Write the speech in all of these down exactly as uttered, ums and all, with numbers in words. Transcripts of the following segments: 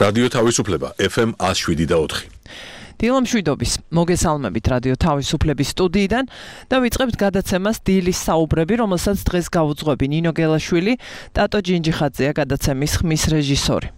რადიო თავისუფლება ეფ ემ one oh seven და four. დილა მშვიდობის, მოგესალმებით რადიო თავისუფლების სტუდიიდან და ვიწყებთ გადაცემას დილის საუბრები, რომელსაც დღეს გავუძღვები ნინო გელაშვილი, ტატო ჯინჯიხაძეა გადაცემის ხმის რეჟისორი.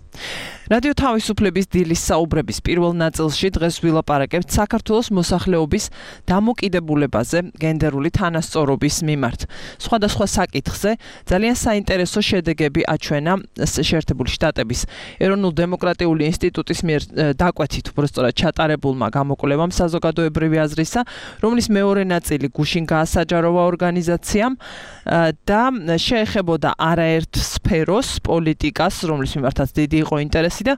რადიო თავისუფლების დილის საუბრების პირველ ნაწილში დღეს ვილაპარაკებთ საქართველოს მოსახლეობის დამოკიდებულებაზე გენდერული თანასწორობის მიმართ. სხვადასხვა საკითხზე ძალიან საინტერესო შედეგები აჩვენა შეერთებული შტატების ეროვნულ დემოკრატიული ინსტიტუტის მიერ დაკვეთით უბრალოდ ჩატარებულმა გამოკვლევამ საზოგადოებრივი აზრისა, რომლის მეორე ნაწილი გუშინ გაასაჯაროვა ორგანიზაციამ და შეეხებოდა არაერთ სფეროს პოლიტიკას, რომლის მიმართაც დიდი იყო ინტერესი და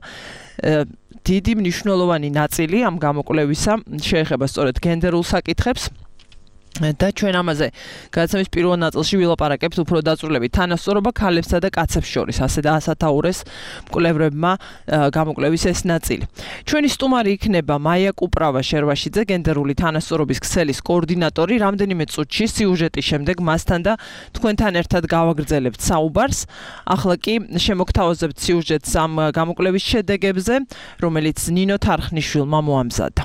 დიდი მნიშვნელოვანი ნაწილი ამ გამოკვლევისა შეეხება სწორედ გენდერულ საკითხებს. და ჩვენ ამაზე გადაცემის პირველ ნაწილში ვილაპარაკებთ უფრო დაწვრილებით თანასწორობა ქალებსა და კაცებს შორის, ასე და ასათაურეს მკვლევრებმა გამოკვლევის ეს ნაწილი. ჩვენი სტუმარი იქნება მაია კუპრავა შერვაშიძე, გენდერული თანასწორობის ქსელის კოორდინატორი. რამდენიმე წუთში სიუჟეტის შემდეგ მასთან და თქვენთან ერთად გავაგრძელებთ საუბარს. ახლა კი შემოგთავაზებთ სიუჟეტს ამ გამოკვლევის შედეგებზე, რომელიც ნინო თარხნიშვილმა მოამზადა.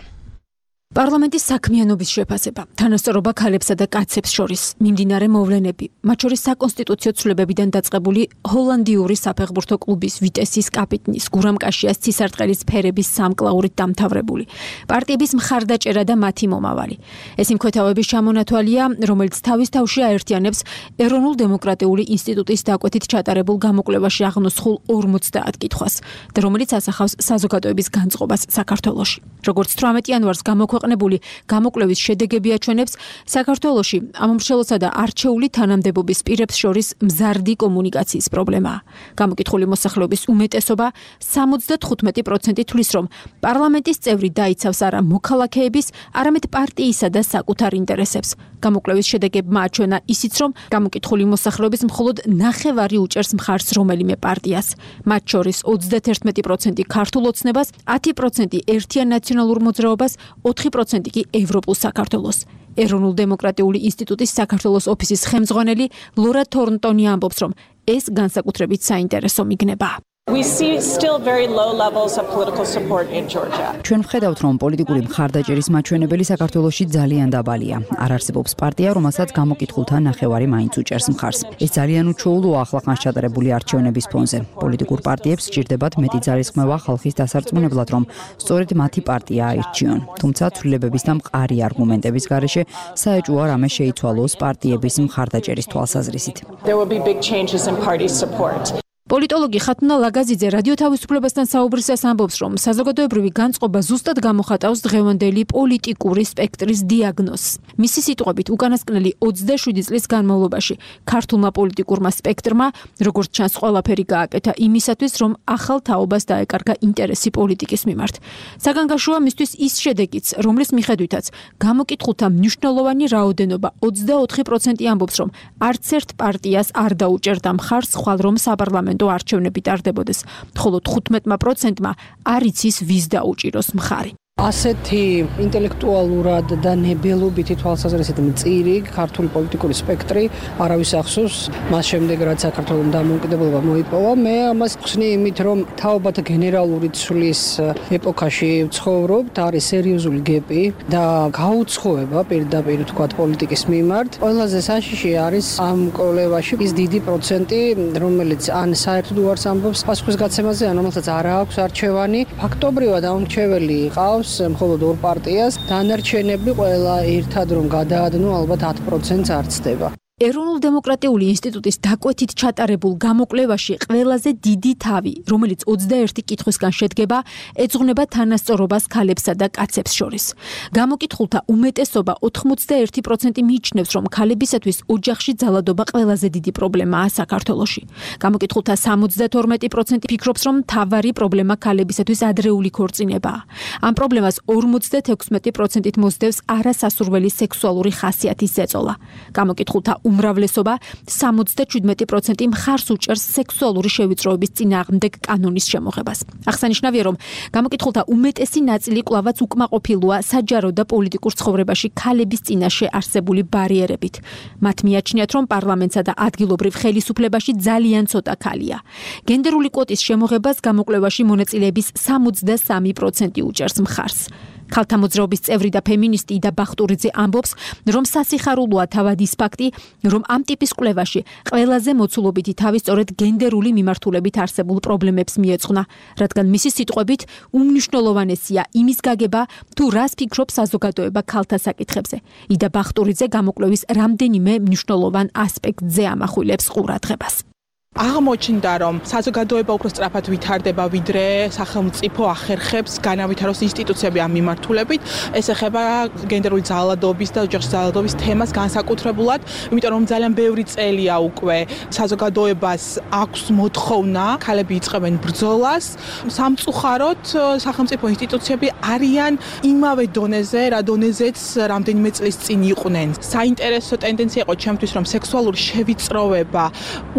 პარლამენტის საქმიანობის შეფასება, თანასწორობა ქალებსა და კაცებს შორის, მიმდინარე მოვლენები, მათ შორის საკონსტიტუციო ცვლილებებიდან დაწყებული ჰოლანდიური საფეხბურთო კლუბის ვიტესის კაპიტნის გურამ კაშიას ცისარტყელის ფერების სამკლაურით დამთავრებული, პარტიების მხარდაჭერა და მათი მომავალი. ეს იმქვეთავების ჩამონათვალია, რომელიც თავის თავში აერთიანებს ეროვნულ დემოკრატიული ინსტიტუტის დაკვეთით ჩატარებულ გამოკვლევაში აღნოსხულ ორმოცდაათ კითხვას და რომელიც ასახავს საზოგადოების განწყობას საქართველოში. როგორც თვრამეტი იანვარს გამოქვეყნებული გამოკვლევის შედეგები აჩვენებს, საქართველოში ამომრჩევლსა და არჩეული თანამდებობის პირებს შორის მზარდი კომუნიკაციის პრობლემაა. გამოკითხული მოსახლეობის უმეტესობა სამოცდათხუთმეტი პროცენტი თვლის, რომ პარლამენტის წევრი დაიცავს არა მოქალაქეების, არამედ პარტიისა და საკუთარ ინტერესებს. გამოკვლევის შედეგებმა აჩვენა ისიც, რომ გამოკითხული მოსახლეობის მხოლოდ ნახევარი უჭერს მხარს რომელიმე პარტიას. მათ შორის ოცდაათი პროცენტი ქართულ ოცნებას, ათი პროცენტი ერთიან ნაციონალურ მოძრაობას, ოთხი პროცენტი კი ევროპულ საქართველოს. ეროვნულ დემოკრატიული ინსტიტუტის საქართველოს ოფისის ხელმძღვანელი ლორა თორნტონი ამბობს, რომ ეს განსაკუთრებით საინტერესო მიგნება. We see still very low levels of political support in Georgia. ჩვენ ვხედავთ, რომ პოლიტიკური მხარდაჭერის მაჩვენებელი საქართველოში ძალიან დაბალია. არ არსებობს პარტია, რომელსაც გამოკითხულთა ნახევარი მაინც უჭერს მხარს. ეს ძალიან უჩვეულოა ახლახანს ჩატარებული არჩევნების ფონზე. პოლიტიკურ პარტიებს სჭირდებათ მეტი ძალისხმევა ხალხის დასარწმუნებლად, რომ სწორედ მათი პარტია აირჩიონ. თუმცა ცვლილებების და მყარი არგუმენტების გარეშე საეჭვოა რამე შეიცვალოს პარტიების მხარდაჭერის თვალსაზრისით. There will be big changes in party support. პოლიტოლოგი ხათუნა ლაგაზიძე რადიო თავისუფლებასთან საუბრისას ამბობს, რომ საზოგადოებრივი განწყობა ზუსტად გამოხატავს დღევანდელი პოლიტიკური სპექტრის დიაგნოზს. მისი სიტყვებით, უკანასკნელი ოცდაშვიდი წლის განმავლობაში ქართულმა პოლიტიკურმა სპექტრმა, როგორც ჩანს, ყველაფერი გააკეთა იმისათვის, რომ ახალ თაობას დაეკარგა ინტერესი პოლიტიკის მიმართ. საგანგაშოა მისთვის ის შედეგიც, რომლის მიხედვითაც გამოკითხულთა მნიშვნელოვანი რაოდენობა ოცდაოთხი პროცენტი ამბობს, რომ არც ერთ პარტიას არ დაუჭერდა მხარს, ხვალ რომ საპარლამენტო არჩევნები ტარდებოდეს, ხოლო თხუთმეტი პროცენტმა არ იცის ვის დაუჭიროს მხარი. ასეთი ინტელექტუალურად და ნებელობითი თვალსაზრისით მწირი ქართული პოლიტიკური სპექტრი არავის ახსოვს მას შემდეგ, რაც საქართველოს დამოუკიდებლობა მოიპოვა. მე ამას ხსნი იმით, რომ თაობათა გენერალური ცვლის ეპოქაში ვცხოვრობთ, არის სერიოზული გეპი და გაუცხოება პირდაპირ თქვა პოლიტიკის მიმართ. ყველაზე საშიში არის ამ კოლევაში ის დიდი პროცენტი, რომელიც ან საერთოდ უარს ამბობს პასუხისგაცემაზე, ან რომელსაც არ აქვს არჩევანი. ფაქტობრივად ამორჩეველი ყავს მხოლოდ ორ პარტიას, დანარჩენები ყველა ერთად რომ გადაადნო, ალბათ ათ პროცენტს არ ცდება. ეროვნულ დემოკრატიული ინსტიტუტის დაკვეთით ჩატარებულ გამოკვლევაში ყველაზე დიდი თავი, რომელიც ოცდაერთი კითხვისგან შედგება, ეძღვნება თანასწორობას ქალებსა და კაცებს შორის. გამოკითხულთა უმეტესობა ოთხმოცდაერთი პროცენტი მიიჩნევს, რომ ქალებისათვის ოჯახში ძალადობა ყველაზე დიდი პრობლემაა საქართველოში. გამოკითხულთა სამოცდათორმეტი პროცენტი ფიქრობს, რომ მთავარი პრობლემა ქალებისათვის ადრეული ქორწინებაა. ამ პრობლემას ორმოცდათექვსმეტი პროცენტით მოსდევს არასასურველი სექსუალური ხასიათის ზეწოლა. გამოკითხულთა უმრავლესობა სამოცდაშვიდმეტი პროცენტი მხარს უჭერს სექსუალური შევიწროების წინააღმდეგ კანონის შემოღებას. აღსანიშნავია, რომ გამოკითხულთა უმეტესი ნაწილი კვლავაც უკმაყოფილოა საჯარო და პოლიტიკურ ცხოვრებაში ქალების წინაშე არსებული ბარიერებით. მათ მიაჩნიათ, რომ პარლამენტსა და ადგილობრივ ხელისუფლებაში ძალიან ცოტა ქალია. გენდერული კვოტის შემოღებას გამოკვლევაში მონაწილეების სამოცდასამი პროცენტი უჭერს მხარს. ქალთა მოძრაობის წევრი და ფემინისტი იდა ბახტურიძე ამბობს, რომ სასიხარულოა თავად ის ფაქტი, რომ ამ ტიპის კვლევაში ყველაზე მოცულობითი თავი სწორედ გენდერული მიმართულებით არსებულ პრობლემებს მიეძღვნა, რადგან მისი სიტყვებით უმნიშვნელოვანესია იმის გაგება, თუ რას ფიქრობს საზოგადოება ქალთა საკითხებზე. იდა ბახტურიძე გამოკვლევის რამდენიმე მნიშვნელოვან ასპექტზე ამახვილებს ყურადღებას. აღმოჩნდა, რომ საზოგადოება უფრო სწრაფად ვითარდება, ვიდრე სახელმწიფო ახერხებს განავითაროს ინსტიტუციები ამ მიმართულებით. ეს ეხება გენდერული ძალადობის და ოჯახის ძალადობის თემას განსაკუთრებულად, იმიტომ რომ ძალიან ბევრი წელია უკვე საზოგადოებას აქვს მოთხოვნა, ქალები იწყებენ ბრძოლას. სამწუხაროდ სახელმწიფო ინსტიტუციები არიან იმავე დონეზე, რა დონეზეც რამდენიმე წლის წინ იყვნენ. საინტერესო ტენდენცია იყო ჩემთვის, რომ სექსუალური შევიწროება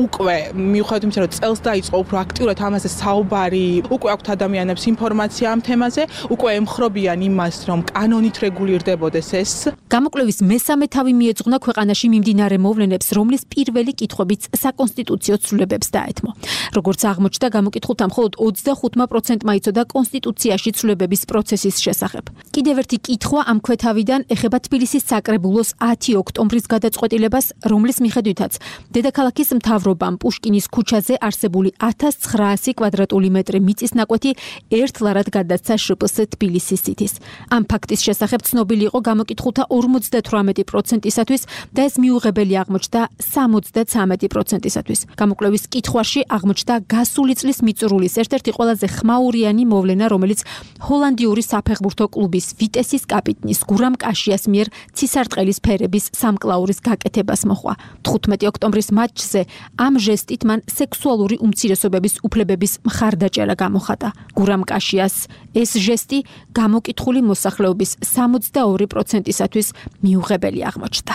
უკვე მიუხედავად იმისა, რომ წელს დაიწყო უფრო აქტიურად ამაზე საუბარი, უკვე აქვთ ადამიანებს ინფორმაცია ამ თემაზე, უკვე ემხრობიან იმას, რომ კანონით რეგულირდებოდეს ეს. გამოკვლევის მესამე თავი მიეძღვნა ქვეყანაში მიმდინარე მოვლენებს, რომლის პირველი კითხვებიც საკონსტიტუციო ცვლილებებს დაეთმო. როგორც აღმოჩნდა, გამოკითხულთა მხოლოდ ოცდახუთმა პროცენტმა იცოდა კონსტიტუციაში ცვლილებების პროცესის შესახებ. კიდევ ერთი კითხვა ამ ქვეთავიდან ეხება თბილისის საკრებულოს ათი ოქტომბრის გადაწყვეტილებას, რომლის მიხედვითაც დედაქალაქის მთავრობამ პუშკინის ქუჩაზე არსებული ათას ცხრაასი კვადრატული მეტრი მიწის ნაკვეთი ერთლარად გადასცა შპს თბილისის სიტის. ამ ფაქტის შესახებ ცნობილი იყო გამოკითხულთა ორმოცდათვრამეტი პროცენტისათვის და ეს მიუღებელი აღმოჩნდა სამოცდაცამეტი პროცენტისათვის. გამოკვლევის კითხვაში აღმოჩნდა გასული წლის მიწურულის ერთ-ერთი ყველაზე ხმაურიანი მოვლენა, რომელიც ჰოლანდიური საფეხბურთო კლუბის ვიტესის კაპიტნის გურამ კაშიას მიერ ცისარტყელის ფერების სამკლაურის გაკეთებას მოჰყვა. თხუთმეტი ოქტომბრის მატჩზე ამ ჟესტით მან სექსუალური უმცირესობების უფლებების მხარდაჭერა გამოხატა. გურამ კაშიას ეს ჟესტი გამოკითხული მოსახლეობის სამოცდაორი პროცენტისათვის მიუღებელი აღმოჩნდა.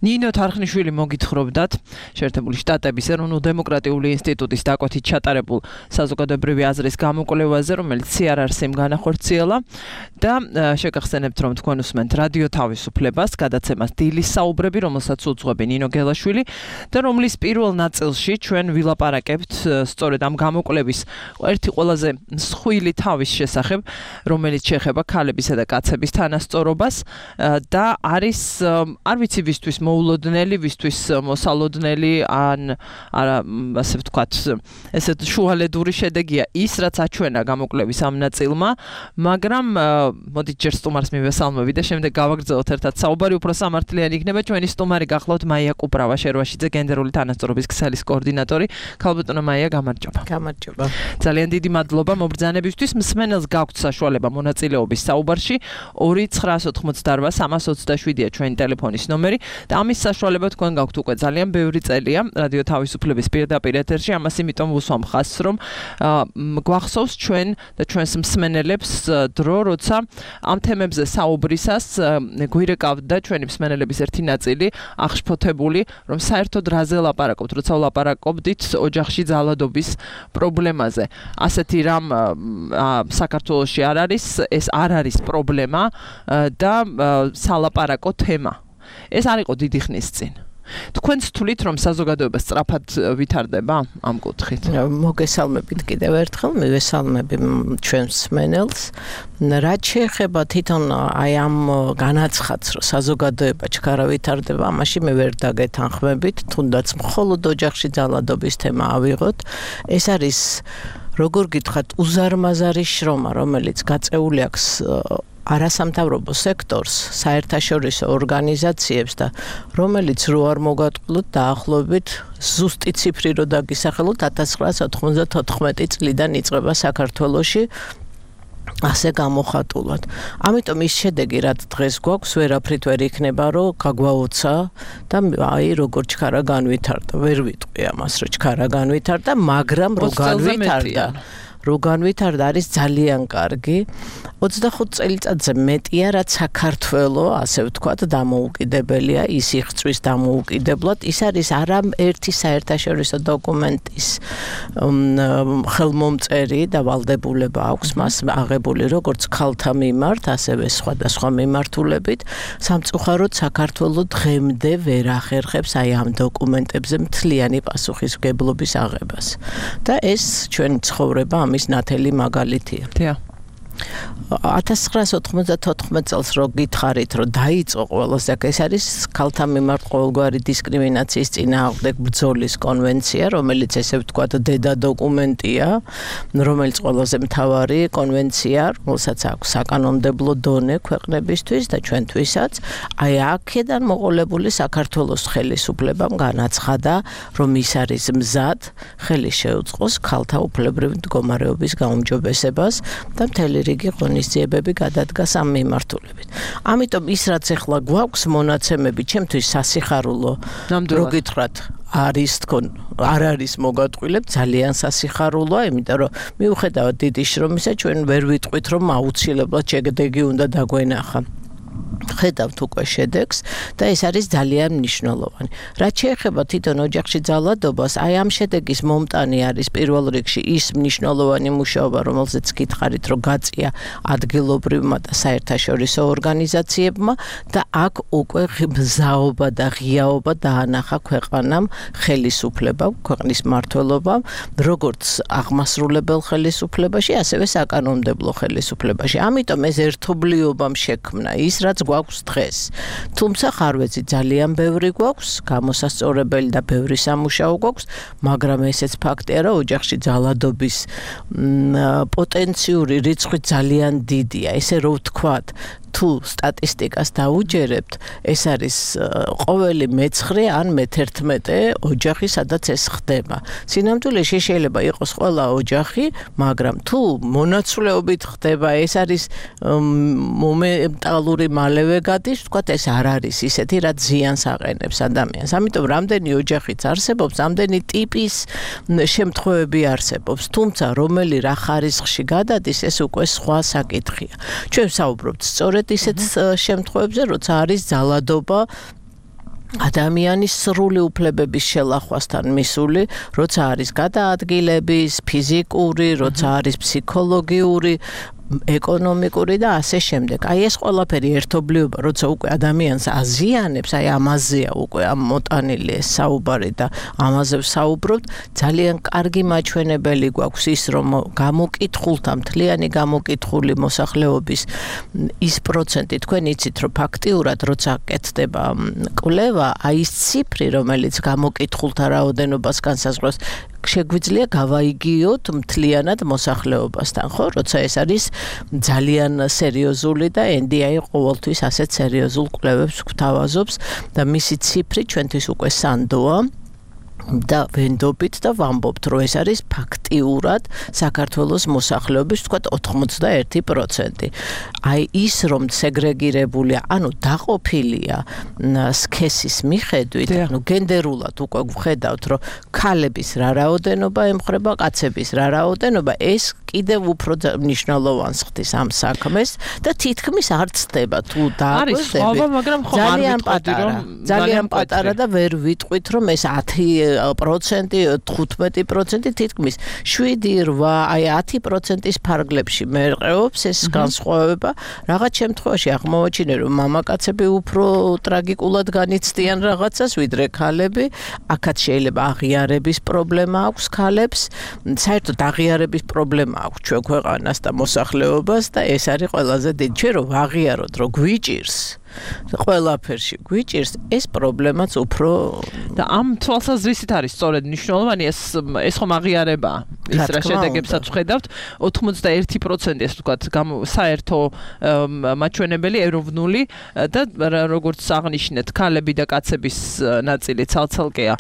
ნინო თარხნიშვილი მოგითხრობდათ შეერთებული შტატების ეროვნულ დემოკრატიული ინსტიტუტის დაკვეთით ჩატარებულ საზოგადოებრივი აზრის გამოკვლევაზე, რომელიც სი არ არ-სი-მ განახორციელა და შეგახსენებთ, რომ თქვენ უსმენთ რადიო თავისუფლებას, გადაცემას დილის საუბრები, რომელსაც უძღვები ნინო გელაშვილი და რომლის პირველ ნაწილში ჩვენ ვილაპარაკებთ სწორედ ამ გამოკვლევის ერთი ყველაზე მსხვილი თავის შესახებ, რომელიც შეეხება ქალებისა და კაცების თანასწორობას და არის არ ვიცი ვისთვის მოულოდნელი, ვისთვის მოსალოდნელი ან არა ასე ვთქვათ, ესეთ შუალედური შედეგია ის, რაც აჩვენა გამოკვლევის ამ ნაწილმა, მაგრამ მოდით ჯერ სტუმარს მივესალმები და შემდეგ გავაგრძელოთ ერთად საუბარი. უფრო სამართლიანი იქნება. ჩვენი სტუმარი გახლავთ მაია კუპრავა, შერვაშიძე, გენდერული თანასწორობის ქსელის კოორდინატორი. ქალბატონო მაია, გამარჯობა. გამარჯობა. ძალიან დიდი მადლობა მობრძანებისთვის. მსმენელს გაქვთ საშუალება მონაწილეობის საუბარში. ორი ცხრაას ოთხმოცდარბა სამას ოცდაშვიდია ჩვენი ტელეფონის ნომერი და ამის საშუალება თქვენ გაქვთ უკვე ძალიან ბევრი წელია რადიო თავისუფლების პირდაპირ ეთერში. ამას იმიტომ ვუსვამ ხაზს, რომ გვახსოვს ჩვენ და ჩვენს მსმენელებს დრო, როცა ამ თემებზე საუბრისას გვირეკავდა ჩვენი მსმენელების ერთი ნაწილი აღშფოთებული, რომ საერთოდ რაზე ლაპარაკობთ, როცა ვლაპარაკობდით ოჯახში ძალადობის პრობლემაზე. ასეთი რამ საქართველოში არ არის, ეს არ არის პრობლემა და სალაპარაკო თემა. ეს არ იყო დიდი ხნის წინ. თქვენც თვლით, რომ საზოგადოება სწრაფად ვითარდება ამ კუთხით? მოგესალმებით კიდევ ერთხელ, მივესალმები ჩვენს მსმენელს. რაც შეეხება თვითონ აი ამ განაცხადს, რომ საზოგადოება ჩქარა ვითარდება, ამაში მე ვერ დაგეთანხმებით, თუნდაც მხოლოდ ოჯახში ძალადობის თემა ავიღოთ. ეს არის, როგორ გითხრათ, უზარმაზარი შრომა, რომელიც გაწეული აქვს არასამთავრობო სექტორს, საერთაშორისო ორგანიზაციებს და რომელიც რო არ მოგატყულოთ დაახლოებით ზუსტი ციფრი რო დაგისახელოთ ათას ცხრაას ოთხმოცდათოთხმეტი წლიდან იწყება საქართველოში ასე გამოხატულად. ამიტომ ის შედეგი, რაც დღეს გვაქვს, ვერაფრით ვერ იქნება, რომ გაგვაოცა და აი როგორ ჩქარა განვითარდა. ვერ ვიტყვი ამას, რომ ჩქარა განვითარდა, მაგრამ რო განვითარდა. რო განვითარდა არის ძალიან კარგი. ოცდახუთ წელიწადზე მეტია, რაც საქართველოს, ასე ვთქვათ, დამოუკიდებელია, ის იღწვის დამოუკიდებლად. ის არის არა ერთი საერთაშორისო დოკუმენტის ხელმომწერი და ვალდებულება აქვს მას აღებული როგორც ქალთა მიმართ, ასევე სხვადასხვა მიმართულებით. სამწუხაროდ საქართველოს დღემდე ვერ ახერხებს აი ამ დოკუმენტებზე მთლიანი პასუხისმგებლობის აღებას. და ეს ჩვენი ცხოვრება ამის ნათელი მაგალითია. დიახ. ათას ცხრაასი ოთხმოცდათოთხმეტ წელს რო გითხარით, რომ დაიწყო ყველაზე ეს არის ქალთა მიმართ ყოველგვარი დისკრიმინაციის წინააღმდეგ ბრძოლის კონვენცია, რომელიც ესე ვთქვათ დედა დოკუმენტია, რომელიც ყველაზე მთავარი კონვენცია, რომელსაც აქვს საკანონმდებლო დონე ქვეყნებისთვის და ჩვენთვისაც. აი აქედან მოყოლებული საქართველოს ხელისუფლებამ განაცხადა, რომ ის არის მზად ხელი შეუწყოს ქალთა უფლებრივ მდგომარეობის გაუმჯობესებას და მთელი რიგი ღონისძიებები გადადგას ამ მიმართულებით. ამიტომ ის რაც ახლა გვაქვს მონაცემები, ჩემთვის სასიხარულო, რო გითხრათ, არის თქო, არ არის მოგატყვილებ, ძალიან სასიხარულოა, იმიტომ რომ მიუხედავად დიდი შრომისა, ჩვენ ვერ ვიტყვით, რომ აუცილებლად შედეგი უნდა დაგვენახა. ხედავთ უკვე შედეგს და ეს არის ძალიან მნიშვნელოვანი. რაც შეეხება თვითონ ოჯახში ძალადობას, აი ამ შედეგის მომტანი არის პირველ რიგში ის მნიშვნელოვანი მუშაობა, რომელზეც გითხარით, რომ გაწია ადგილობრივმა და საერთაშორისო ორგანიზაციებმა და აქ უკვე მზაობა და ღიაობა დაანახა ქვეყანამ, ხელისუფლებამ, ქვეყნის მმართველობამ, როგორც აღმასრულებელ ხელისუფლებაში, ასევე საკანონმდებლო ხელისუფლებაში. ამიტომ ეს ერთობლიობამ შექმნა ის, რაც გვაქვს დღეს. თუმცა ხარვეცი ძალიან ბევრი გვაქვს, გამოსასწორებელი და ბევრი სამუშაო გვაქვს, მაგრამ ესეც ფაქტია, რომ ოჯახში ძალადობის პოტენციური რიცხვი ძალიან დიდია. ესე რომ ვთქვათ, თუ სტატისტიკას დაუჯერებთ, ეს არის ყოველი მეცხრე ან მეთერთმეტე ოჯახი, სადაც ეს ხდება. სინამდვილეში შეიძლება იყოს ყველა ოჯახი, მაგრამ თუ მონაცვლეობით ხდება, ეს არის მომენტალური მალევე გადის, ვთქვათ, ეს არ არის ისეთი, რაც ზიანს აყენებს ადამიანს. ამიტომ რამდენი ოჯახიც არსებობს, რამდენი ტიპის შემთხვევები არსებობს, თუმცა რომელი რა ხარისხში გადადის, ეს უკვე სხვა საკითხია. ჩვენ ვსაუბრობთ სწორედ ისეთ შემთხვევებზე, როცა არის ძალადობა ადამიანის სრული უფლებების შელახვასთან მისული, როცა არის გადაადგილების, ფიზიკური, როცა არის ფსიქოლოგიური, ეკონომიკური და ასე შემდეგ. აი ეს ყველაფერი ერთობლიობა, როცა უკვე ადამიანს აზიანებს, აი ამაზეა უკვე ამ მოტანილი ეს საუბარი და ამაზე ვსაუბრობთ, ძალიან კარგი მაჩვენებელი გვაქვს ის, რომ გამოკითხულთა, მთლიანი გამოკითხული მოსახლეობის ის პროცენტი, თქვენ იცით, რომ ფაქტიურად როცა კეთდება კვლევა, აი ის ციფრი, რომელიც გამოკითხულთა რაოდენობას განსაზღვრავს, შეგვიძლია გავაიგიოთ მთლიანად მოსახლეობასთან, ხო? როცა ეს არის ძალიან სერიოზული და ენ დი აი ყოველთვის ასეთ სერიოზულ კვლევებს გვთავაზობს და მისი ციფრი ჩვენთვის უკვე სანდოა. და ვენდობით და ვამბობთ, რომ ეს არის ფაქტიურად საქართველოს მოსახლეობის, ვთქვათ, ოთხმოცდაერთი პროცენტი. აი ის, რომ სეგრეგირებულია, ანუ დაყოფილია სქესის მიხედვით, ანუ გენდერულად უკვე ვხედავთ, რომ ქალების რა რაოდენობა ემხრება კაცების რა რაოდენობა, ეს კიდევ უფრო მნიშვნელოვანს ხდის ამ საქმეს და თითქმის არ ცდება თუ დააკვირდებით. ძალიან პატარა, ძალიან პატარა და ვერ ვიტყვით, რომ ეს ათი პროცენტი, თხუთმეტი პროცენტი, თითქმის შვიდი, რვა, აი ათი პროცენტის ფარგლებში მერყეობს ეს განსხვავება. რაღაც შემთხვევაში აღმოვაჩინე, რომ მამაკაცები უფრო ტრაგიკულად განიცდიან რაღაცას, ვიდრე ქალები. აქაც შეიძლება აღიარების პრობლემა აქვს ქალებს. საერთოდ აღიარების პრობლემა აქვს ჩვენ ქვეყანას და მოსახლეობას და ეს არის ყველაზე დიდი. ჩვენ რომ აღიაროთ, რომ გვიჭირს ყველაფერში გვიჭირს, ეს პრობლემაც უფრო და ამ თვალსაზრისით არის სწორედ მნიშვნელოვანი ეს ეს ხომ აღიარებაა. ის რა შედეგებსაც ვხედავთ, ოთხმოცდაერთი პროცენტი ეს ვთქვათ, საერთო მაჩვენებელი ეროვნული და როგორც აღნიშნეთ, ქალები და კაცების ნაწილი ცალ-ცალკეა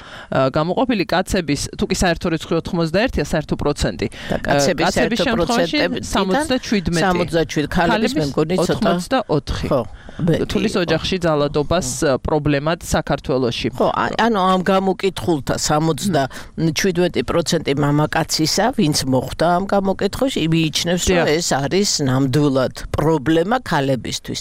გამოყოფილი, კაცების თუ კი საერთო რიცხვი ოთხმოცდაერთია, საერთო პროცენტი. კაცების საერთო პროცენტი სამოცდაშვიდმეტი. სამოცდაშვიდი, ქალების მე მგონი ცოტა ოცდაოთხი. ხო. თulis ოჯახში ძალადობას პრობლემად საქართველოში. ხო, ანუ ამ გამოკითხულთა სამოცდაშვიდ პროცენტი მამაკაცისა, ვინც მოხვდა ამ გამოკითხვაში, მიიჩნევს, რომ ეს არის ნამდვილად პრობლემა ქალებისთვის.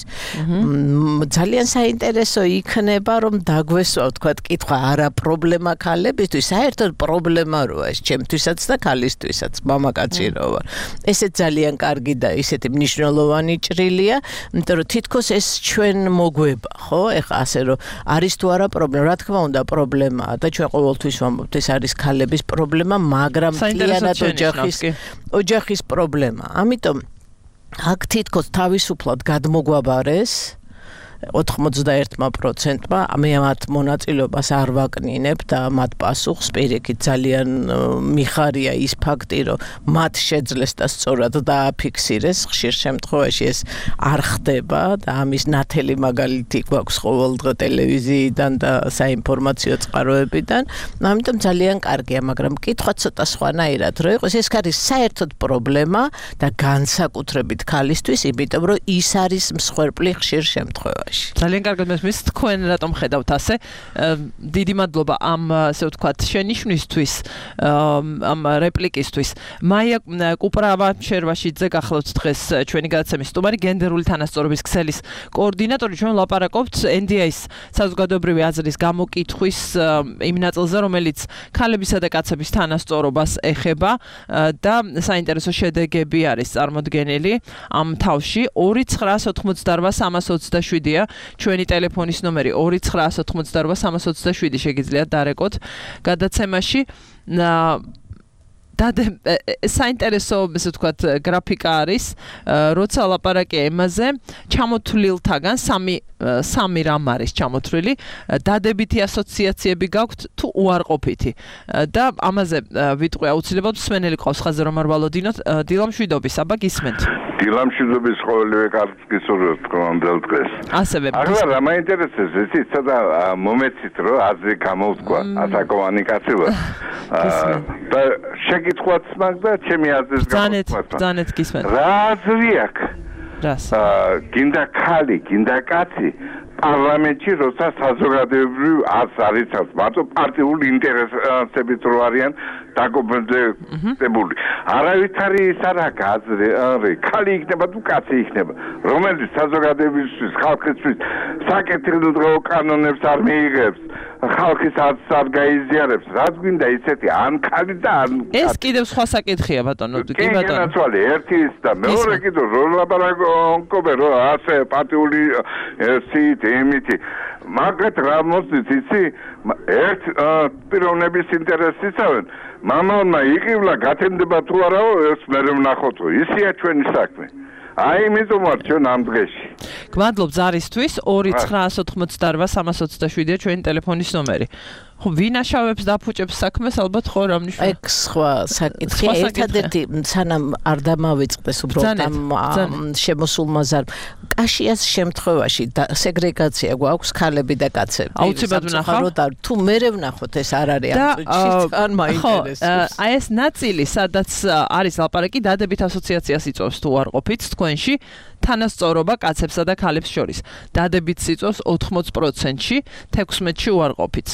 ძალიან საინტერესო იქნება, რომ დაგვესვა, თქვა, კითხვა არა პრობლემა ქალებისთვის, საერთოდ პრობლემა როა ეს ჩემთვისაც და ქალისთვისაც, მამაკაცი რო ვარ. ესეც ძალიან კარგი და ისეთი მნიშვნელოვანი ჭრილია, იმიტომ რომ თითქოს ეს ჩვენ მოგვება, ხო? ეხლა ასე რომ არის თუ არა პრობლემა, რა თქმა უნდა პრობლემაა და ჩვენ ყოველთვის ვამბობთ, ეს არის ქალების პრობლემა, მაგრამ მთლიანად ოჯახის ოჯახის პრობლემა. ამიტომ აქ თითქოს თავისუფლად გადმოგვაბარეს ოთხმოცდაერთ პროცენტმა მე მათ მონაწილეობას არ ვაკნინებ და მათ პასუხს პირიქით ძალიან მიხარია ის ფაქტი, რომ მათ შეძლეს და სწორად დააფიქსირეს, ხშირ შემთხვევაში ეს არ ხდება და ამის ნათელი მაგალითი გვაქვს ყოველდღე ტელევიზიიდან და საინფორმაციო წყაროებიდან. ამიტომ ძალიან კარგია, მაგრამ კითხვა ცოტა სხვანაირად რო იყოს, ეს არის საერთოდ პრობლემა და განსაკუთრებით ქალისთვის, იმიტომ რომ ის არის მსხვერპლი ხშირ შემთხვევაში. ძალიან კარგად მესმის თქვენ რატომ ხედავთ ასე დიდი მადლობა ამ ასე ვთქვათ შენიშვნისთვის ამ რეპლიკისთვის მაია კუპრავა შერვაშიძე გახლავთ დღეს ჩვენი გადაცემის სტუმარი გენდერული თანასწორობის ქსელის კოორდინატორი ჩვენ ვლაპარაკობთ ენ დი ეის საზოგადოებრივი აზრის გამოკითხვის იმ ნაწილზე რომელიც ქალებისა და კაცების თანასწორობას ეხება და საინტერესო შედეგები არის წარმოდგენილი ამ თავში ორი ცხრაას ოცდაოთხმოცდარბა სამას ოცდაშვიდი ჩვენი ტელეფონის ნომერი ორი ცხრაას ოცდაოთხმოცდარბა სამას ოცდაშვიდი შეგიძლიათ დარეკოთ გადაცემაში და საინტერესო ესე ვთქვათ გრაფიკა არის როცა ლაპარაკია ემაზე ჩამოთვლილთაგან სამი სამი რამ არის ჩამოთვლილი დადებითი ასოციაციები გაქვთ თუ უარყოფითი და ამაზე ვიტყვი აუცილებლად მსმენელი ყავს ხაზე რომ არ ვალოდინოთ დილამშვიდობის აბა გისმენთ დილამშვიდობის ყოველივე კარგს გისურვებთ ყოველდღე დღეს ასევე ახლა რა მაინტერესებს ესეც და მომეცით რომ აზრი გამოვთქვა ასაკოვანი კაცი ვარ და შეკითხვაც მაქვს და ჩემი აზრის გამოვთქვა ბრძანეთ გისმენთ რა აზრი აქვს რას გინდა ქალი გინდა კაცი პარლამენტში როცა საზოგადოებრივ აზრს არიცავს მარტო პარტიული ინტერესებით რო არიან დაკომპლექტებული არავითარი ის არ აქვს აზრი არის ქალი იქნება თუ კაცი იქნება რომელიც საზოგადოებისთვის ხალხისთვის საკეთილდღეო კანონებს არ მიიღებს ხალხის აზრს არ გაიზიარებს რაც გვინდა ისეთი ან ქალი და ან ეს კიდევ სხვა საკითხია ბატონო კი ბატონო ერთი ის და მეორე კიდევ რო ლაპარაკობ რომ ასე პარტიული სიტ ემითი მაგათ რა მოსდით იცი ერთ პიროვნების ინტერესისავენ მამალმა იყივლა გათენდება თუ არაო ეს მე ვნახოთო ისია ჩვენი საქმე აი მითომ ვარ ჩვენ ამ დღეში გმადლობ ზარისთვის ორი ცხრაას ოცდაოთხმოცდარბა სამას ოცდაშვიდი ჩვენი ტელეფონის ნომერი ხო ვინაშავებს დაფუჭებს საქმეს ალბათ ხო რა მნიშვნელობა ეგ სხვა საკითხია ერთადერთი სანამ არ დამავიწყდეს უბრალოდ ამ შემოსულმა ზარ კაშიას შემთხვევაში სეგრეგაცია გვაქვს ქალები და კაცები აუცილებლად ვნახავთ თუ მერე ვნახოთ ეს არ არის ამ წუთში თან მაინტერესებს აი ეს ნაწილი სადაც არის ლაპარაკი დადებით ასოციაციას იწვევს თუ არ ყოფით თქვენში თანასწორობა კაცებსა და ქალებს შორის დადებით იწვევს ოთხმოც პროცენტში თექვსმეტში უარყოფით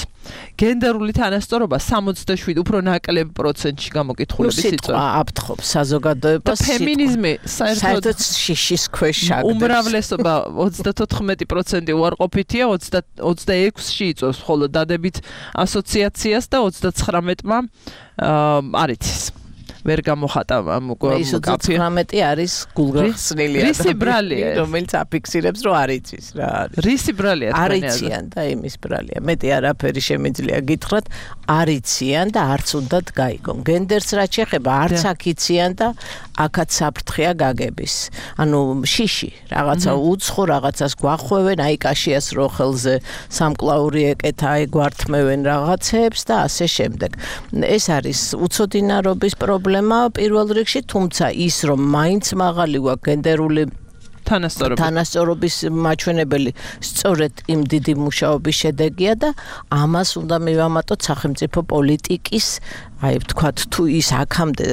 გენდერული თანასწორობა სამოცდაშვიდი უფრო ნაკლებ პროცენტში გამოკითხულების იწვევს აფთხობს საზოგადოებას და ფემინიზმი საერთოდ შიშის ქვეშ შაგდებს უმრავლესობა ოცდაოთხმეტი პროცენტი უარყოფითია ოცდაექვსში იწვევს ხოლო დადებით ასოციაციას და ოცდაცხრამეტმა არ იცის ვერ გამოხატა ამ ის ოცდაცხრამეტი არის გულგახსნილია რისი ბრალია რომელიც აფიქსირებს რომ არ იცის რა არის რისი ბრალია არ იციან და იმის ბრალია მეტი არაფერი შემიძლია გითხრათ არ იციან და არც უნდათ გაიგონ გენდერს რაც შეეხება არც აქ იციან და აქაც საფრთხეა გაგების ანუ შიში რაღაცა უცხო რაღაცას გვახვევენ აი კაშიას როხელზე სამკლაური ეკეთა აი გვართმევენ რაღაცებს და ასე შემდეგ ეს არის უცოდინარობის პრობლემა პირველ რიგში, თუმცა ის რომ მაინც მაღალი გვაქვს გენდერული თანასწორობის თანასწორობის მაჩვენებელი სწორედ იმ დიდი მუშაობის შედეგია და ამას უნდა მივამატოთ სახელმწიფო პოლიტიკის აი ვთქვათ თუ ის აქამდე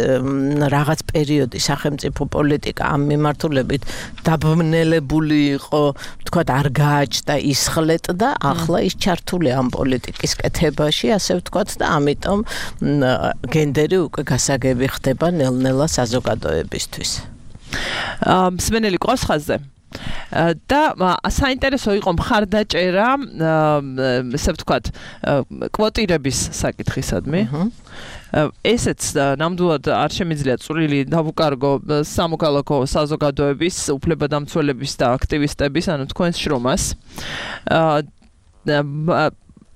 რაღაც პერიოდი სახელმწიფო პოლიტიკა ამ მიმართულებით დაბნელებული იყო ვთქვათ არ გააჩნდა ისხლეტდა ახლა ის ჩართული ამ პოლიტიკის კეთებაში ასე ვთქვათ და ამიტომ გენდერი უკვე გასაგები ხდება ნელ-ნელა საზოგადოებისთვის მსმენელი ყავს ხაზზე და საინტერესო იყო მხარდაჭერა ესე ვთქვათ კვოტირების საკითხისადმი ესეც ნამდვილად არ შემიძლია წვრილი დავუკარგო სამოქალაქო საზოგადოების უფლებადამცველების და აქტივისტების ანუ თქვენს შრომას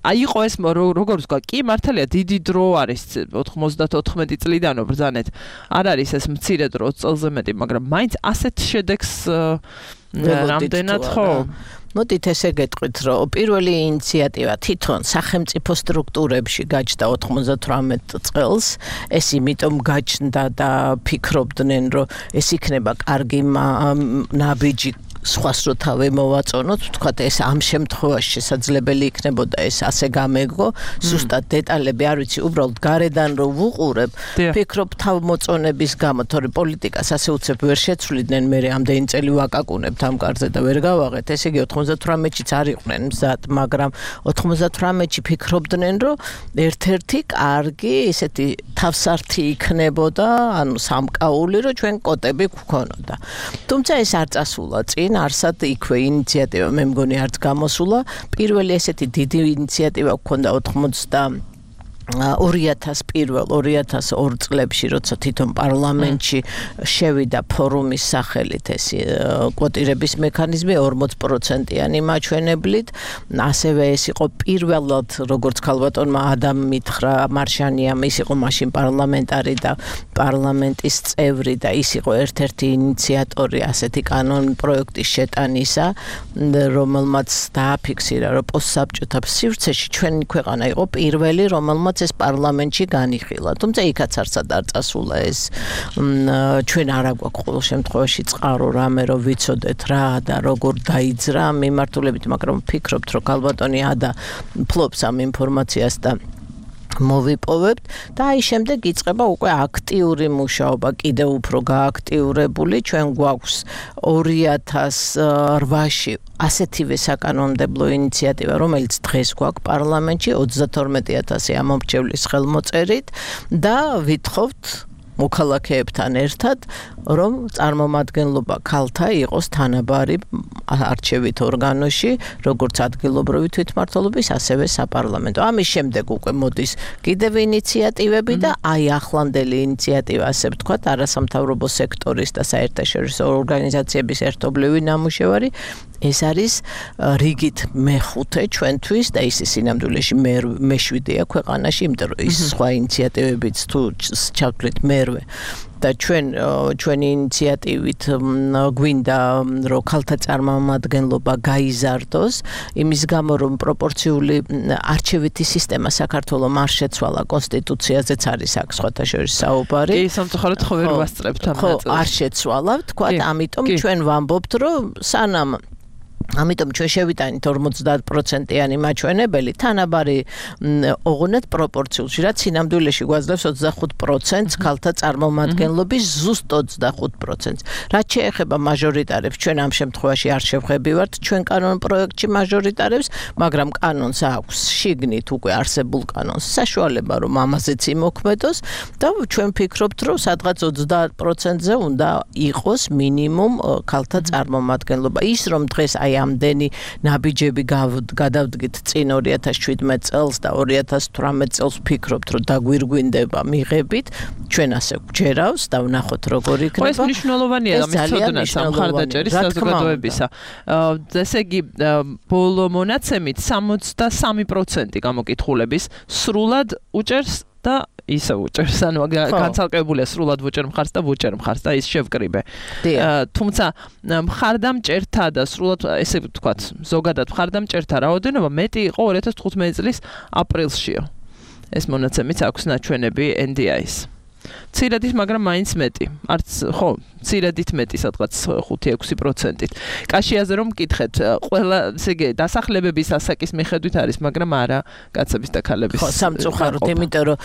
აი იყო ეს როგორც ვთქვა კი მართალია დიდი დრო არის ოთხმოცდათოთხმეტი წლიდანო ბრძანეთ არ არის ეს მცირე დრო ოცი წელზე მეტი მაგრამ მაინც ასეთ შედეგს რამდენად ხო მოდით ესე გეტყვით რომ პირველი ინიციატივა თვითონ სახელმწიფო სტრუქტურებში გაჩნდა ოთხმოცდათვრამეტ წელს ეს იმიტომ გაჩნდა და ფიქრობდნენ რომ ეს იქნება კარგი ნაბიჯი სხვას რო თავი მოვაწონოთ, ვთქვათ ეს ამ შემთხვევაში შესაძლებელი იქნებოდა ეს ასე გამეგო, ზუსტად დეტალები არ ვიცი, უბრალოდ გარედან რო ვუყურებ, ფიქრობ თავმოწონების გამო, თორე პოლიტიკას ასე უცებ ვერ შეცვლიდნენ, მე ამდენი წელი ვაკაკუნებთ ამ კარზე და ვერ გავაღეთ, ესე იგი ოთხმოცდათვრამეტშიც არ იყვნენ მზად, მაგრამ ოთხმოცდათვრამეტში ფიქრობდნენ, რომ ერთ-ერთი კარგი ესეთი თავსართი იქნებოდა, ანუ სამკაული, რომ ჩვენ კოტები გვქონოდა. თუმცა ეს არ წასულა წინ არსად იქვე ინიციატივა მე მგონი არც გამოსულა პირველი ესეთი დიდი ინიციატივა გქონდა ოთხმოცდა ორი ათას პირველ ორი ათას ორ წლებში როცა თვითონ პარლამენტში შევიდა ფორუმის სახელით ეს კვოტირების მექანიზმი ორმოც პროცენტიანი მაჩვენებლით ასევე ეს იყო პირველად როგორც ქალბატონმა ადამ მითხრა მარშანიამ ის იყო მაშინ პარლამენტარი და პარლამენტის წევრი და ის იყო ერთ-ერთი ინიციატორი ასეთი კანონ პროექტის შეტანისა რომელმაც დააფიქსირა რომ პოსტსაბჭოთა სივრცეში ჩვენი ქვეყანა იყო პირველი რომელმაც ეს პარლამენტში განიხილა. თუმცა იქაც არცად არ წასულა ეს ჩვენ არ აგვაქვს ყოველ შემთხვევაში წყარო რამე რომ ვიცოდეთ რა და როგორ დაიძრა მიმართულებით, მაგრამ ვფიქრობთ რომ ქალბატონი ადა ფლობს ამ ინფორმაციას და მოვიპოვებთ და აი შემდეგ იწყება უკვე აქტიური მუშაობა კიდევ უფრო გააქტიურებული ჩვენ გვაქვს ორი ათას რვაში ასეთივე საკანონმდებლო ინიციატივა რომელიც დღეს გვაქვს პარლამენტში ოცდათორმეტი ათასი ამომრჩევლის ხელმოწერით და ვითხოვთ მოქალაქეებთან ერთად რომ წარმომადგენლობა ქალთა იყოს თანაბარი არჩევით ორგანოში როგორც ადგილობრივი თვითმმართველობის ასევე საპარლამენტო. ამის შემდეგ უკვე მოდის კიდევ ინიციატივები და აი ახლანდელი ინიციატივა ასე ვთქვათ არასამთავრობო სექტორის და საერთაშორისო ორგანიზაციების ერთობლივი ნამუშევარი ეს არის რიგით მეხუთე ჩვენთვის და ის სინამდვილეში მეშვიდეა ქვეყანაში, იმიტომ რომ ის სხვა ინიციატივებიც თუ ჩავთვლით მერვე და ჩვენ ჩვენი ინიციატივით გვინდა რომ ქალთა წარმომადგენლობა გაიზარდოს იმის გამო რომ პროპორციული არჩევითი სისტემა საქართველოს არ შეცვალა კონსტიტუციაზეც არის აქ სხვათა შორის საუბარი. კი, სამწუხაროდ ხო ვერ ვასწრებთ ამ ნაწილს. ხო, არ შეცვალა, თქვა, ამიტომ ჩვენ ვამბობთ რომ სანამ ამიტომ ჩვენ შევიტანით ორმოცდაათ პროცენტიანი მაჩვენებელი თანაბარი ოღონდ პროპორციულში რაც სინამდვილეში გვაძლევს ოცდახუთ პროცენტს ქალთა წარმომადგენლობის ზუსტ ოცდახუთ პროცენტს რაც შეეხება მაჟორიტარებს ჩვენ ამ შემთხვევაში არ შევხებივართ ჩვენ კანონ პროექტში მაჟორიტარებს მაგრამ კანონს აქვს შიგნით უკვე არსებულ კანონს საშუალება რომ ამაზეც იმოქმედოს და ჩვენ ვფიქრობთ რომ სადღაც ოცდაათ პროცენტზე უნდა იყოს მინიმუმ ქალთა წარმომადგენლობა ის რომ დღეს აი ამდენი ნაბიჯები გადავდგით წინ ორი ათას შვიდმეტ წელს და ორი ათას თვრამეტ წელს ვფიქრობთ რომ დაგვირგვინდება მიღებით ჩვენ ასე გვჯერავს და ვნახოთ როგორ იქნება ეს მნიშვნელოვანია მისწოდნა სამხარდაჭერის საზოგადოებისა ესე იგი ბოლო მონაცემით სამოცდასამი პროცენტი გამოკითხულების სრულად უჭერს და ისე უჭერს, ანუ განცალკევებულია სრულად ვუჭერ მხარს და ვუჭერ მხარს და ის შევკრიბე. თუმცა მხარდამჭერთა და სრულად ესე ვთქვათ, ზოგადად მხარდამჭერთა რაოდენობა მეტი იყო ორი ათას თხუთმეტი წლის აპრილშიო. ეს მონაცემიც აქვს ნაჩვენები ენ დი აის. ცირად ის, მაგრამ მაინც მეტი. არც ხო, მცირედით მეტი, სადღაც ხუთი ექვსი პროცენტით. კაშიაზე რომ მკითხეთ, ყველა ესე იგი დასახლებების ასაკის მიხედვით არის, მაგრამ არა კაცების და ქალების. ხო, სამწუხაროდ, იმიტომ რომ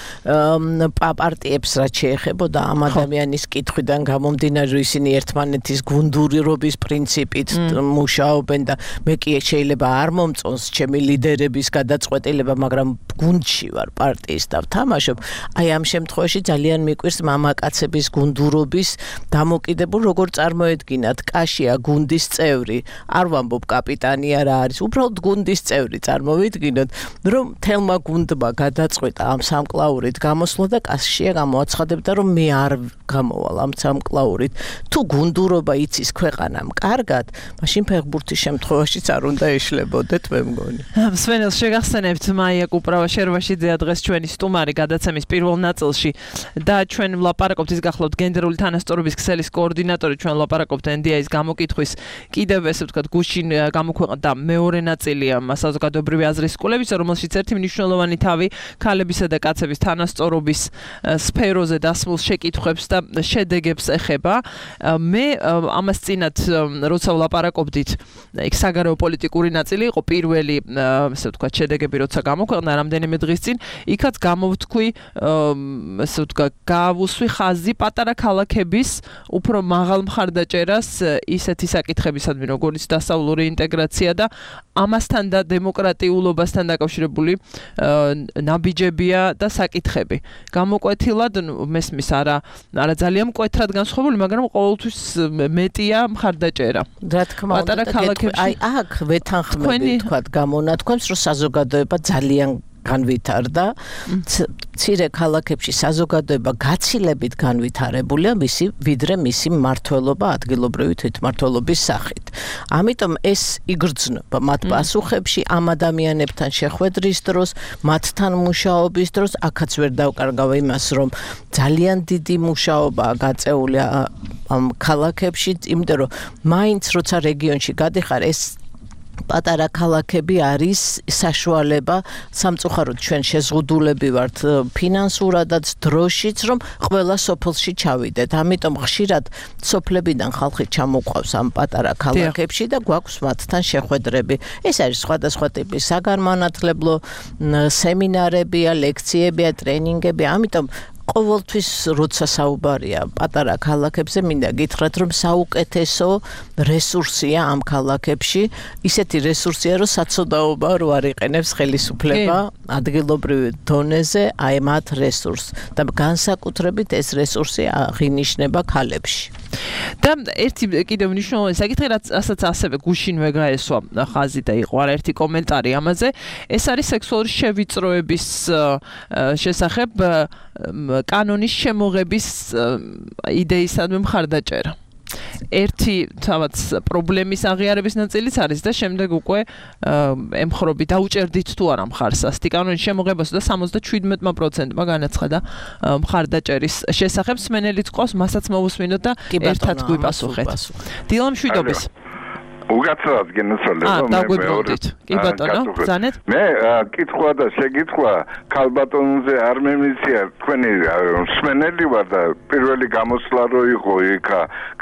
პარტიებს რაც შეეხებოდა ამ ადამიანის კითხვიდან გამომდინარე, რომ ისინი ერთმანეთის გუნდურობის პრინციპით მუშაობენ და მე კი შეიძლება არ მომწონს ჩემი ლიდერების გადაწყვეტილება, მაგრამ გუნდში ვარ პარტიის და ვთამაშობ. აი ამ შემთხვევაში ძალიან მიყვირს მამაკაცების გუნდურობის დამოკიდებულ როგორ წარმოედგინათ კაშია გუნდის წევრი, არ ვამბობ კაპიტანი არა არის, უბრალოდ გუნდის წევრი წარმოვიდგინოთ, რომ თელმა გუნდმა გადაწყვეტა ამ სამკლაურით გამოსვლა და კაშია გამოაცხადებდა, რომ მე არ გამოვალ ამ სამკლაურით. თუ გუნდურობა იცის ქვეყანამ კარგად, მაშინ ფეხბურთის შემთხვევაშიც არ უნდა ეშლებოდეთ, მე მგონი. მსმენელს შეგახსენებთ მაია კუპრავა შერვაშიძეა დღეს ჩვენი სტუმარი გადაცემის პირველ ნაწილში და ჩვენ ვლაპარაკობთ ის გახლავთ გენდერული თანასწორობის ქსელის კოორდინატორი, ჩვენ ვლაპარაკობთ ენ დი ეის გამოკითხვის კიდევ ესე ვთქვათ გუშინ გამოქვეყნდა მეორე ნაწილია საზოგადოებრივი აზრის სკოლებისა, რომელშიც ერთი მნიშვნელოვანი თავი ქალებისა და კაცების თანასწორობის სფეროზე დასმულ შეკითხვებს და შედეგებს ეხება. მე ამას წინათ როცა ვლაპარაკობდით, იქ საგარეო პოლიტიკური ნაწილი იყო პირველი ესე ვთქვათ შედეგები როცა გამოქვეყნდა რამდენიმე დღის წინ, იქაც გამოვთქვი ესე ვთქვათ გავუსვი ხაზი პატარა ქალაქების უფრო მაღალ მხარდაჭერას ისეთი საკითხებისადმი, როგორც დასავლური ინტეგრაცია და ამასთან და დემოკრატიულობასთან დაკავშირებული ნაბიჯებია და საკითხები. გამოკვეთილად მესმის არა არა ძალიან მკვეთრად განსხვავებული, მაგრამ ყოველთვის მეტია მხარდაჭერა. რა თქმა უნდა, აი აქ ვეთანხმები თქვათ გამონათქვამს, რომ საზოგადოება ძალიან განვითარდა. მცირე ქალაქებში საზოგადოება გაცილებით განვითარებულია მისი ვიდრე მისი მმართველობა ადგილობრივი თვითმმართველობის სახით. ამიტომ ეს იგრძნობა მათ პასუხებში ამ ადამიანებთან შეხვედრის დროს, მათთან მუშაობის დროს, აქაც ვერ დავკარგავ იმას, რომ ძალიან დიდი მუშაობაა გაწეული ამ ქალაქებში, იმიტომ რომ მაინც როცა რეგიონში გადიხარ, ეს პატარა ქალაქები არის საშუალება, სამწუხაროდ ჩვენ შეზღუდულები ვართ ფინანსურადაც, დროშიც, რომ ყველა სოფელში ჩავიდეთ. ამიტომ ხშირად სოფლებიდან ხალხი ჩამოყვავს ამ პატარა ქალაქებში და გვაქვს მათთან შეხვედრები. ეს არის სხვადასხვა ტიპის საგანმანათლებლო სემინარებია, ლექციებია, ტრენინგები, ამიტომ ყოველთვის როცა საუბარია პატარა ქალაქებზე, მინდა გითხრათ, რომ საუკეთესო რესურსია ამ ქალაქებში, ისეთი რესურსია, რომ საცოდაობა რო არ იყენებს ხელისუფლება ადგილობრივ დონეზე, აი მათ რესურსს და განსაკუთრებით ეს რესურსი აღინიშნება ქალებში. და ერთი კიდევ მნიშვნელოვანი საკითხი, რასაც ასევე გუშინვე გაესვა ხაზი და იყო არაერთი კომენტარი ამაზე, ეს არის სექსუალური შევიწროების შესახებ კანონის შემოღების იდეისადმი მხარდაჭერა. ერთი თავად პრობლემის აღიარების ნაწილიც არის და შემდეგ უკვე ემხრობი დაუჭერდით თუ არა მხარს ასეთი კანონის შემოღებას და სამოცდაშვიდმეტი პროცენტმა განაცხადა მხარდაჭერის შესახებ. მსმენელიც ყავს, მასაც მოვუსმინოთ და ერთად გვიპასუხეთ. დილა მშვიდობის. უგაცრად გენაცვალება მე დაგვიბრუნდით. კი ბატონო, ბრძანეთ. მე კითხვა და შეკითხვა ქალბატონზე არ მემიცია, თქვენი მსმენელი ვარ და პირველი გამოსვლა რო იყო იქ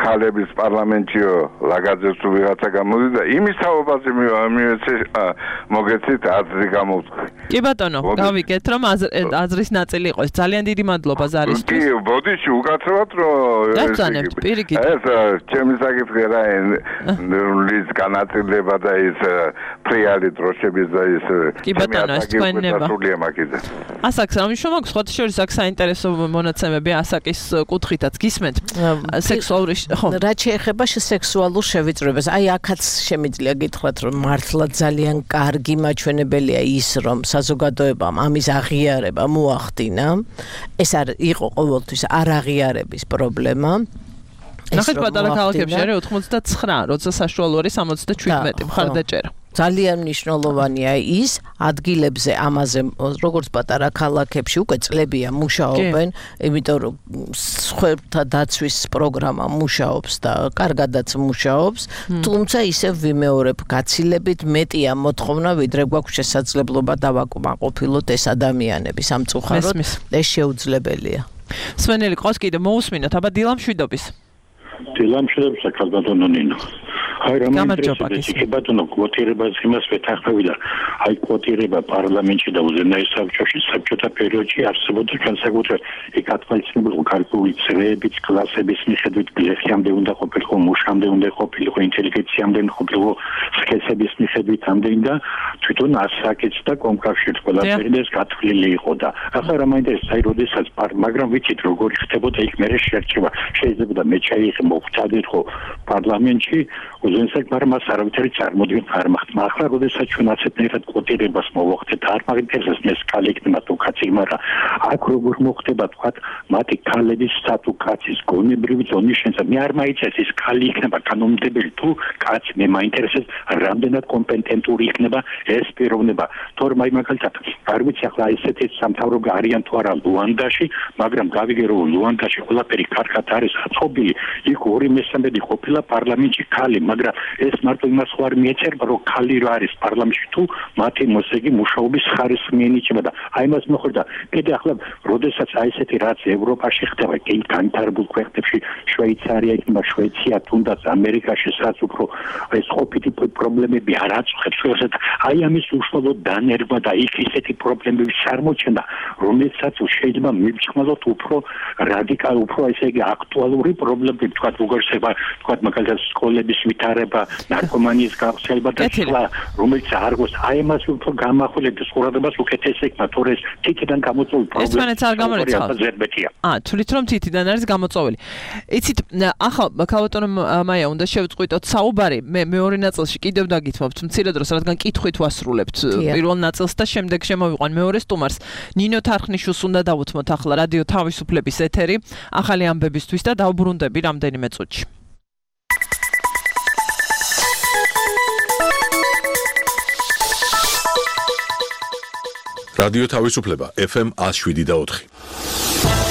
ქალების პარლამენტშიო ლაგაძეს თუ ვიღაცა გამოდიდა, იმის თაობაზე მივეცე მოგეცით აზრი გამოვთქვი. კი ბატონო, გავიგეთ რომ აზრის ნაწილი იყოს. ძალიან დიდი მადლობა ზარისთვის. კი, ბოდიში უკაცრავად რომ ეს პირიქით. ეს ჩემი საკითხი რა ის განაწილება და ის ფრიალი დროშების და ის კი ბატონო, ეს თქვენება. ასაკს რა მნიშვნელობა აქვს? სხვათა შორის აქ საინტერესო მონაცემები ასაკის კუთხითაც გისმენთ. სექსუალური ხო. რაც შეეხება სექსუალურ შევიწროებას, აი აქაც შემიძლია გითხრათ, რომ მართლა ძალიან კარგი მაჩვენებელია ის, რომ საზოგადოებამ ამის აღიარება მოახდინა. ეს არ იყო ყოველთვის არ აღიარების პრობლემა. ნახეთ პატარა ქალაქებში არის ოცდათვრამეტი, როცა საშუალო არის სამოცდაშვიდმეტი მხარდაჭერა. ძალიან მნიშვნელოვანია ის ადგილებზე ამაზე, როგორც პატარა ქალაქებში უკვე წლებია მუშაობენ, იმიტომ რომ სხვათა დაცვის პროგრამა მუშაობს და კარგადაც მუშაობს, თუმცა ისევ ვიმეორებ, გაცილებით მეტია მოთხოვნა, ვიდრე გვაქვს შესაძლებლობა დავაკმაყოფილოთ ეს ადამიანები. სამწუხაროდ ეს შეუძლებელია. მსმენელი ყავს კიდე მოусმინოთ, აბა დილა მშვიდობის. დილამშვიდობ საქართველოს ნინო. აი რა მეინტერესებს იქ ბატონო კვოტირებას იმას ვეთანხმები და აი კვოტირება პარლამენტში და უზენაეს საბჭოში საბჭოთა პერიოდში არსებობდა განსაკუთრებით იქ ათვალისწინებულიყო ქართული წრეების კლასების მიხედვით გლეხიამდე უნდა ყოფილიყო მუშამდე უნდა ყოფილიყო ინტელიგენციამდე ყოფილიყო სქესების მიხედვით ამდენი და თვითონ ასაკიც და კომკავშირით ყველაფერი ეს გათვლილი იყო და ახლა რა მაინტერესებს აი როდესაც მაგრამ ვიცით როგორი ხდებოდა იქ მე შერჩევა შეიძლება მე ჩაიღე მოვხდარიყო პარლამენტში უზენაეს მაგრამ მას არავითარი წარმოდგენა არ მაქვს ახლა როდესაც ჩვენ ასეთნაირად კვოტირებას მოვახდეთ არ მაგინტერესებს მე სკალი იქნება თუ კაცი მაგრამ აქ როგორ მოხდება თქვა მათი ქალების სტატუ კაცის გონებრივი ზონის შესაძლებლობა მე არ მაიცეს ის ქალი იქნება კანონმდებელი თუ კაცი მე მაინტერესებს რამდენად კომპეტენტური იქნება ეს პიროვნება თორემ აი მაგალითად არ ვიცი ახლა ესეთი სამთავრობო არიან თუ არა ლუანდაში მაგრამ გავიგე რომ ლუანდაში ყველაფერი კარგად არის აწყობილი იქ ორი მესამედი ყოფილა პარლამენტში ქალი მაგრამ ეს მარტო იმას ხარ მიეწერება რომ ქალი რა არის პარლამენტში თუ მათი მოსეგი მუშაობის ხარისხი მიენიჭება და აი მას მოხდა კიდე ახლა როდესაც აი ესეთი რაც ევროპაში ხდება კი განვითარებულ ქვეყნებში შვეიცარია იქნება შვეიცია თუნდაც ამერიკაში სადაც უფრო ეს ყოფილი პრობლემები არ აწუხებს შესაძ აი ამის უშუალოდ დანერგვა და იქ ისეთი პრობლემების წარმოჩენა რომელსაც შეიძლება მივჭმალოთ უფრო რადიკალ უფრო ესე იგი აქტუალური პრობლემები თქვა როგორცება თქვა მაგალითად სკოლების ვითარება ნარკომანიის გავრცელება და სხვა რომელიც არ გოს აი ამას უფრო გამახვილებს ყურადღებას უკეთეს ეკმა თორე ეს თითიდან გამოწვეული პრობლემა ეს არ გამორიცხავს აა თulit რომ თითიდან არის გამოწვეული იცით ახლა ქალბატონო მაია უნდა შევწყვიტოთ საუბარი მე მეორე ნაწილში კიდევ დაგითმობთ მცირე დროს რადგან კითხვით ვასრულებთ პირველ ნაწილს და შემდეგ შემოვიყვან მეორე სტუმარს ნინო თარხნიშვილს უნდა დავუთმოთ ახლა რადიო თავისუფლების ეთერი ახალი ამბებისთვის და დავბრუნდები რამდენიმე წუთში რადიო თავისუფლება ეფ ემ one oh seven და four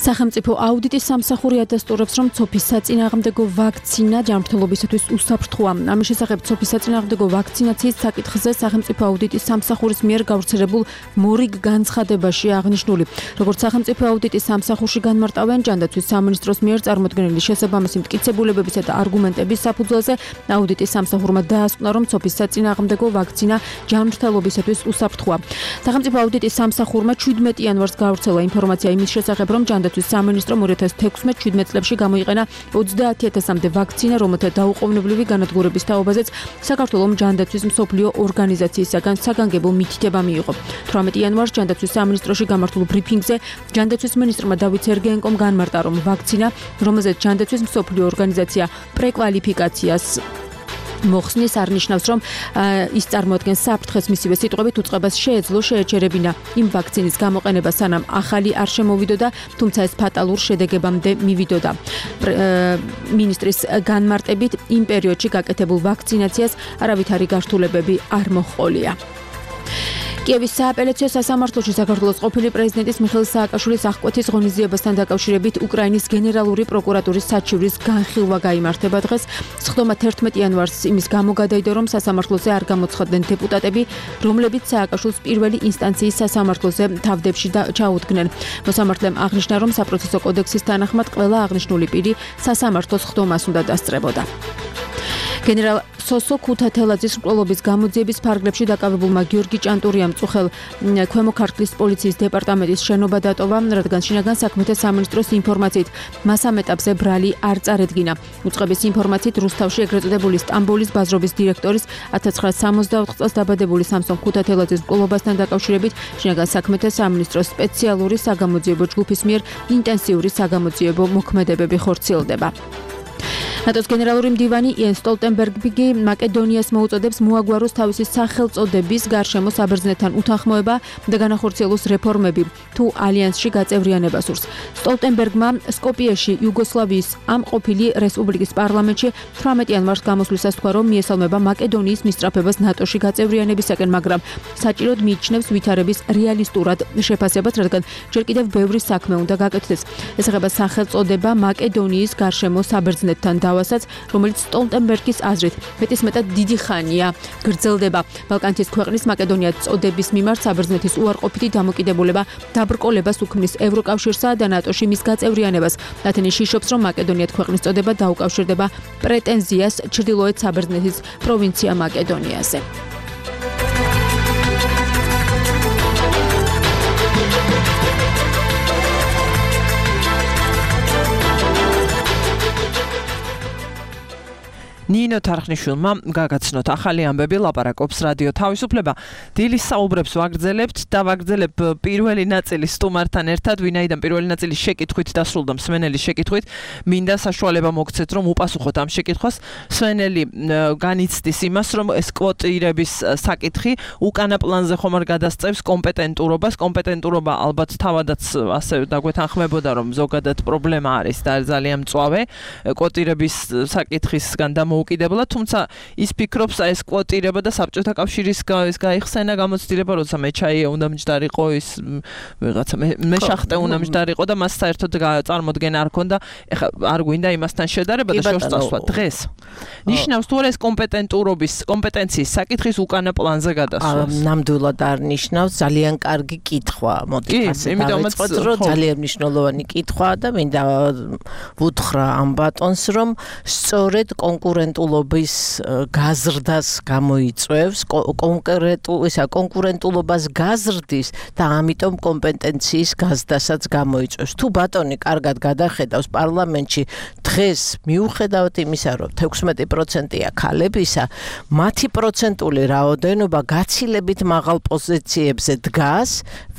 სახელმწიფო აუდიტის სამსახური ადასტურებს, რომ ცოფის საწინააღმდეგო ვაქცინა ჯანმრთელობისათვის უსაფრთხოა. ამის შესახებ ცოფის საწინააღმდეგო ვაქცინაციის საკითხზე სახელმწიფო აუდიტის სამსახურის მიერ გავრცელებულ მორიგ განცხადებაში აღნიშნული, როგორც სახელმწიფო აუდიტის სამსახურში განმარტავენ ჯანდაცვის სამინისტროს მიერ წარმოქმნილი შესაბამისი მტკიცებულებებისა და არგუმენტების საფუძველზე, აუდიტის სამსახურმა დაასკვნა, რომ ცოფის საწინააღმდეგო ვაქცინა ჯანმრთელობისათვის უსაფრთხოა. სახელმწიფო აუდიტის სამსახურმა შვიდმეტი იანვარს გავრცელა ინფორმაცია იმის შესახებ, რომ ჯანდაცვის სამინისტრომ ორი ათას თექვსმეტ შვიდმეტ წლებში გამოიყენა ოცდაათი ათასამდე ვაქცინა, რომელთა დაუყოვნებლივი განადგურების თაობაზეც საქართველოს ჯანდაცვის მსოფლიო ორგანიზაციისაგან საგანგებო მითითება მიიღო. თვრამეტი იანვარს ჯანდაცვის სამინისტროში გამართულ ბრიფინგზე ჯანდაცვის მინისტრმა დავით სერგეენკომ განმარტა, რომ ვაქცინა, რომელზეც ჯანდაცვის მსოფლიო ორგანიზაცია პრეკვალიფიკაციას მოხსნის არნიშნავს, რომ ის წარმოადგენს საფრთხეს მისივე სიტყვებით უწყებას შეეძლო შეეჩერებინა იმ ვაქცინის გამოყენება სანამ ახალი არ შემოვიდოდა, თუმცა ეს ფატალურ შედეგებამდე მივიდოდა. მინისტრის განმარტებით იმ პერიოდში გაკეთებულ ვაქცინაციას არავითარი გართულებები არ მოჰყოლია. კიევის სააპელაციო სასამართლოში საქართველოს ყოფილი პრეზიდენტის მიხეილ სააკაშვილის აღკვეთის ღონისძიებასთან დაკავშირებით უკრაინის გენერალური პროკურატურის საჩივრის განხილვა გაიმართება დღეს. სხდომა თერთმეტი იანვარს იმის გამო გადაიდო, რომ სასამართლოზე არ გამოცხადდნენ დეპუტატები, რომლებიც სააკაშვილს პირველი ინსტანციის სასამართლოზე თავდებში ჩაუდგნენ. მოსამართლემ აღნიშნა, რომ საპროცესო კოდექსის თანახმად ყველა აღნიშნული პირი სასამართლოს სხდომას უნდა დასწრებოდა. გენერალ სოსო ქუთათელაძის მკვლელობის გამოძიების ფარგლებში დაკავებულმა გიორგი ჭანტურიამ წუხელ ქვემო ქართლის პოლიციის დეპარტამენტის შენობა დატოვა, რადგან შინაგან საქმეთა სამინისტროს ინფორმაციით მას ამ ეტაპზე ბრალი არ წარედგინა. უწყების ინფორმაციით რუსთავში ეგრეთ წოდებული სტამბოლის ბაზრობის დირექტორის ათას ცხრაასი სამოცდაოთხ წელს დაბადებული სამსონ ქუთათელაძის მკვლელობასთან დაკავშირებით შინაგან საქმეთა სამინისტროს სპეციალური საგამოძიებო ჯგუფის მიერ ინტენსიური საგამოძიებო მოქმედებები ხორციელდება. ნატოს გენერალური მდივანი იენ სტოლტენბერგი მაკედონიას მოუწოდებს მოაგვაროს თავისი სახელწოდების გარშემო საბერძნეთთან უთანხმოება და განახორციელოს რეფორმები თუ ალიანსში გაწევრიანება სურს. სტოლტენბერგმა სკოპიეში იუგოსლავიის ამ ყოფილი რესპუბლიკის პარლამენტში თვრამეტი იანვარს გამოსვლისას თქვა, რომ მიესალმება მაკედონიის მისწრაფებას ნატოში გაწევრიანებისაკენ, მაგრამ საჭიროდ მიიჩნევს ვითარების რეალისტურად შეფასებას, რადგან ჯერ კიდევ ბევრი საქმე უნდა გაკეთდეს. ეს ეხება სახელწოდება მაკედონიის გარშემო საბერძნეთთან შემოთავასაც, რომელიც სტოლტენბერგის აზრით მეტისმეტად დიდი ხანია გრძელდება. ბალკანეთის ქვეყნის მაკედონია წოდების მიმართ საბერძნეთის უარყოფითი დამოკიდებულება დაბრკოლებას უქმნის ევროკავშირსა და ნატოში მის გაწევრიანებას. ათენი შიშობს, რომ მაკედონიად ქვეყნის წოდება დაუკავშირდება პრეტენზიას ჩრდილოეთ საბერძნეთის პროვინცია მაკედონიაზე. ნინო თარხნიშვილმა გაგაცნოთ ახალი ამბები, ლაპარაკობს რადიო თავისუფლება. დილის საუბრებს ვაგრძელებთ და ვაგრძელებ პირველი ნაწილის სტუმართან ერთად, ვინაიდან პირველი ნაწილი შეკითხვით დასრულდა, მსმენელის შეკითხვით. მინდა საშუალება მოგცეთ, რომ უპასუხოთ ამ შეკითხვას. მსმენელი განიცდის იმას, რომ ეს კვოტირების საკითხი უკანა პლანზე ხომ არ გადასწევს კომპეტენტურობას. კომპეტენტურობა ალბათ თავადაც ასე დაგვეთანხმებოდა, რომ ზოგადად პრობლემა არის და ძალიან მწვავე კვოტირების საკითხისგან და უკიდებლა, თუმცა ის ფიქრობს, ეს კვოტირება და საბჭოთა კავშირის ეს გაიხსენა გამოცდილება, როცა მეჩაიე უნდა მჯდარიყო, ის ვიღაცა მეშახტე უნდა მჯდარიყო და მას საერთოდ წარმოდგენა არ ქონდა. ეხლა არ გვინდა იმასთან შედარება და შორს წასვლა დღეს. ნიშნავს თუ არა ეს კომპეტენტურობის, კომპეტენციის საკითხის უკანა პლანზე გადასვლა. ნამდვილად არ ნიშნავს, ძალიან კარგი კითხვა. მოდი ასე დავიწყოთ, რომ ძალიან მნიშვნელოვანი კითხვაა და მინდა ვუთხრა ამ ბატონს, რომ სწორედ კონკურენტ კონკურენტულობის გაზრდას გამოიწვევს, კონკრეტულ ისა კონკურენტულობას გაზრდის და ამიტომ კომპეტენციის გაზრდასაც გამოიწვევს. თუ ბატონი კარგად გადახედავს პარლამენტში დღეს მიუხედავად იმისა, რომ თექვსმეტი პროცენტია ქალებისა, მათი პროცენტული რაოდენობა გაცილებით მაღალ პოზიციებზე დგას,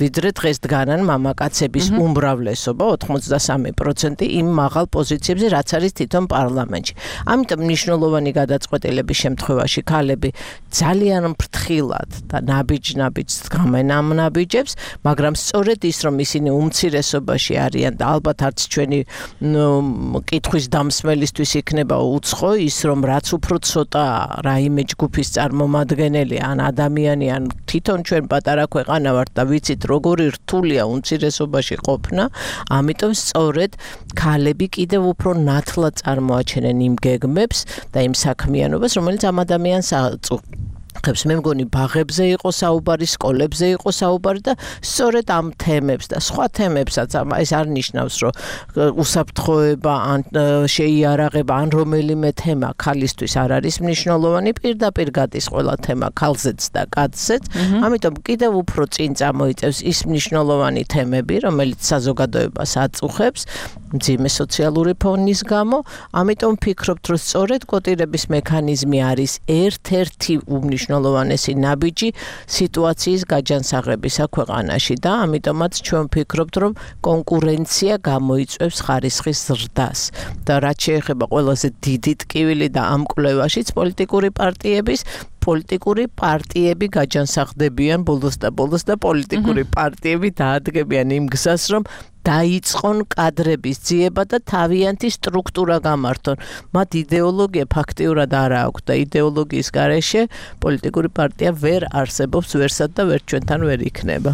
ვიდრე დღეს დგანან მამაკაცების უმრავლესობა ოცდასამი პროცენტი იმ მაღალ პოზიციებზე, რაც არის თვითონ პარლამენტში. ამიტომ მნიშვნელოვანი გადაწყვეტილების შემთხვევაში ქალები ძალიან ფრთხილად და ნაბიჯ-ნაბიჯს დგამენ ამ ნაბიჯებს, მაგრამ სწორედ ის, რომ ისინი უმცირესობაში არიან და ალბათ არც ჩვენი კითხვის დამსმელისთვის იქნება უცხო ის, რომ რაც უფრო ცოტა რაიმე ჯგუფის წარმომადგენელი ან ადამიანი ან თვითონ ჩვენ პატარა ქვეყანა ვართ და ვიცით როგორი რთულია უმცირესობაში ყოფნა, ამიტომ სწორედ ქალები კიდევ უფრო ნათლად წარმოაჩენენ იმ გეგმებს და იმ საქმიანობას, რომელიც ამ ადამიანს აწუხებს. მე მგონი ბაღებზე იყო საუბარი, სკოლებზე იყო საუბარი და სწორედ ამ თემებს და სხვა თემებსაც ეს არ ნიშნავს, რომ უსაფრთხოება ან შეიარაღება ან რომელიმე თემა ქალისთვის არ არის მნიშვნელოვანი, პირდაპირ გადის ყველა თემა ქალზეც და კაცზეც. ამიტომ კიდევ უფრო წინ წამოიწევს ის მნიშვნელოვანი თემები, რომელიც საზოგადოებას აწუხებს მძიმე სოციალური ფონის გამო. ამიტომ ვფიქრობთ, რომ სწორედ კვოტირების მექანიზმი არის ერთ-ერთი უმნიშვნელოვანესი ნაბიჯი სიტუაციის გაჯანსაღებისა ქვეყანაში და ამიტომაც ჩვენ ვფიქრობთ, რომ კონკურენცია გამოიწვევს ხარისხის ზრდას. და რაც შეეხება ყველაზე დიდი ტკივილი და ამ კვლევაშიც პოლიტიკური პარტიების პოლიტიკური პარტიები გაჯანსაღდებიან ბოლოს და ბოლოს და პოლიტიკური პარტიები დაადგებიან იმ გზას, რომ დაიწყონ კადრების ძიება და თავიანთი სტრუქტურა გამართონ. მათ იდეოლოგია ფაქტიურად არ აქვს და იდეოლოგიის გარეშე პოლიტიკური პარტია ვერ არსებობს, ვერსად და ვერ ჩვენთან ვერ იქნება.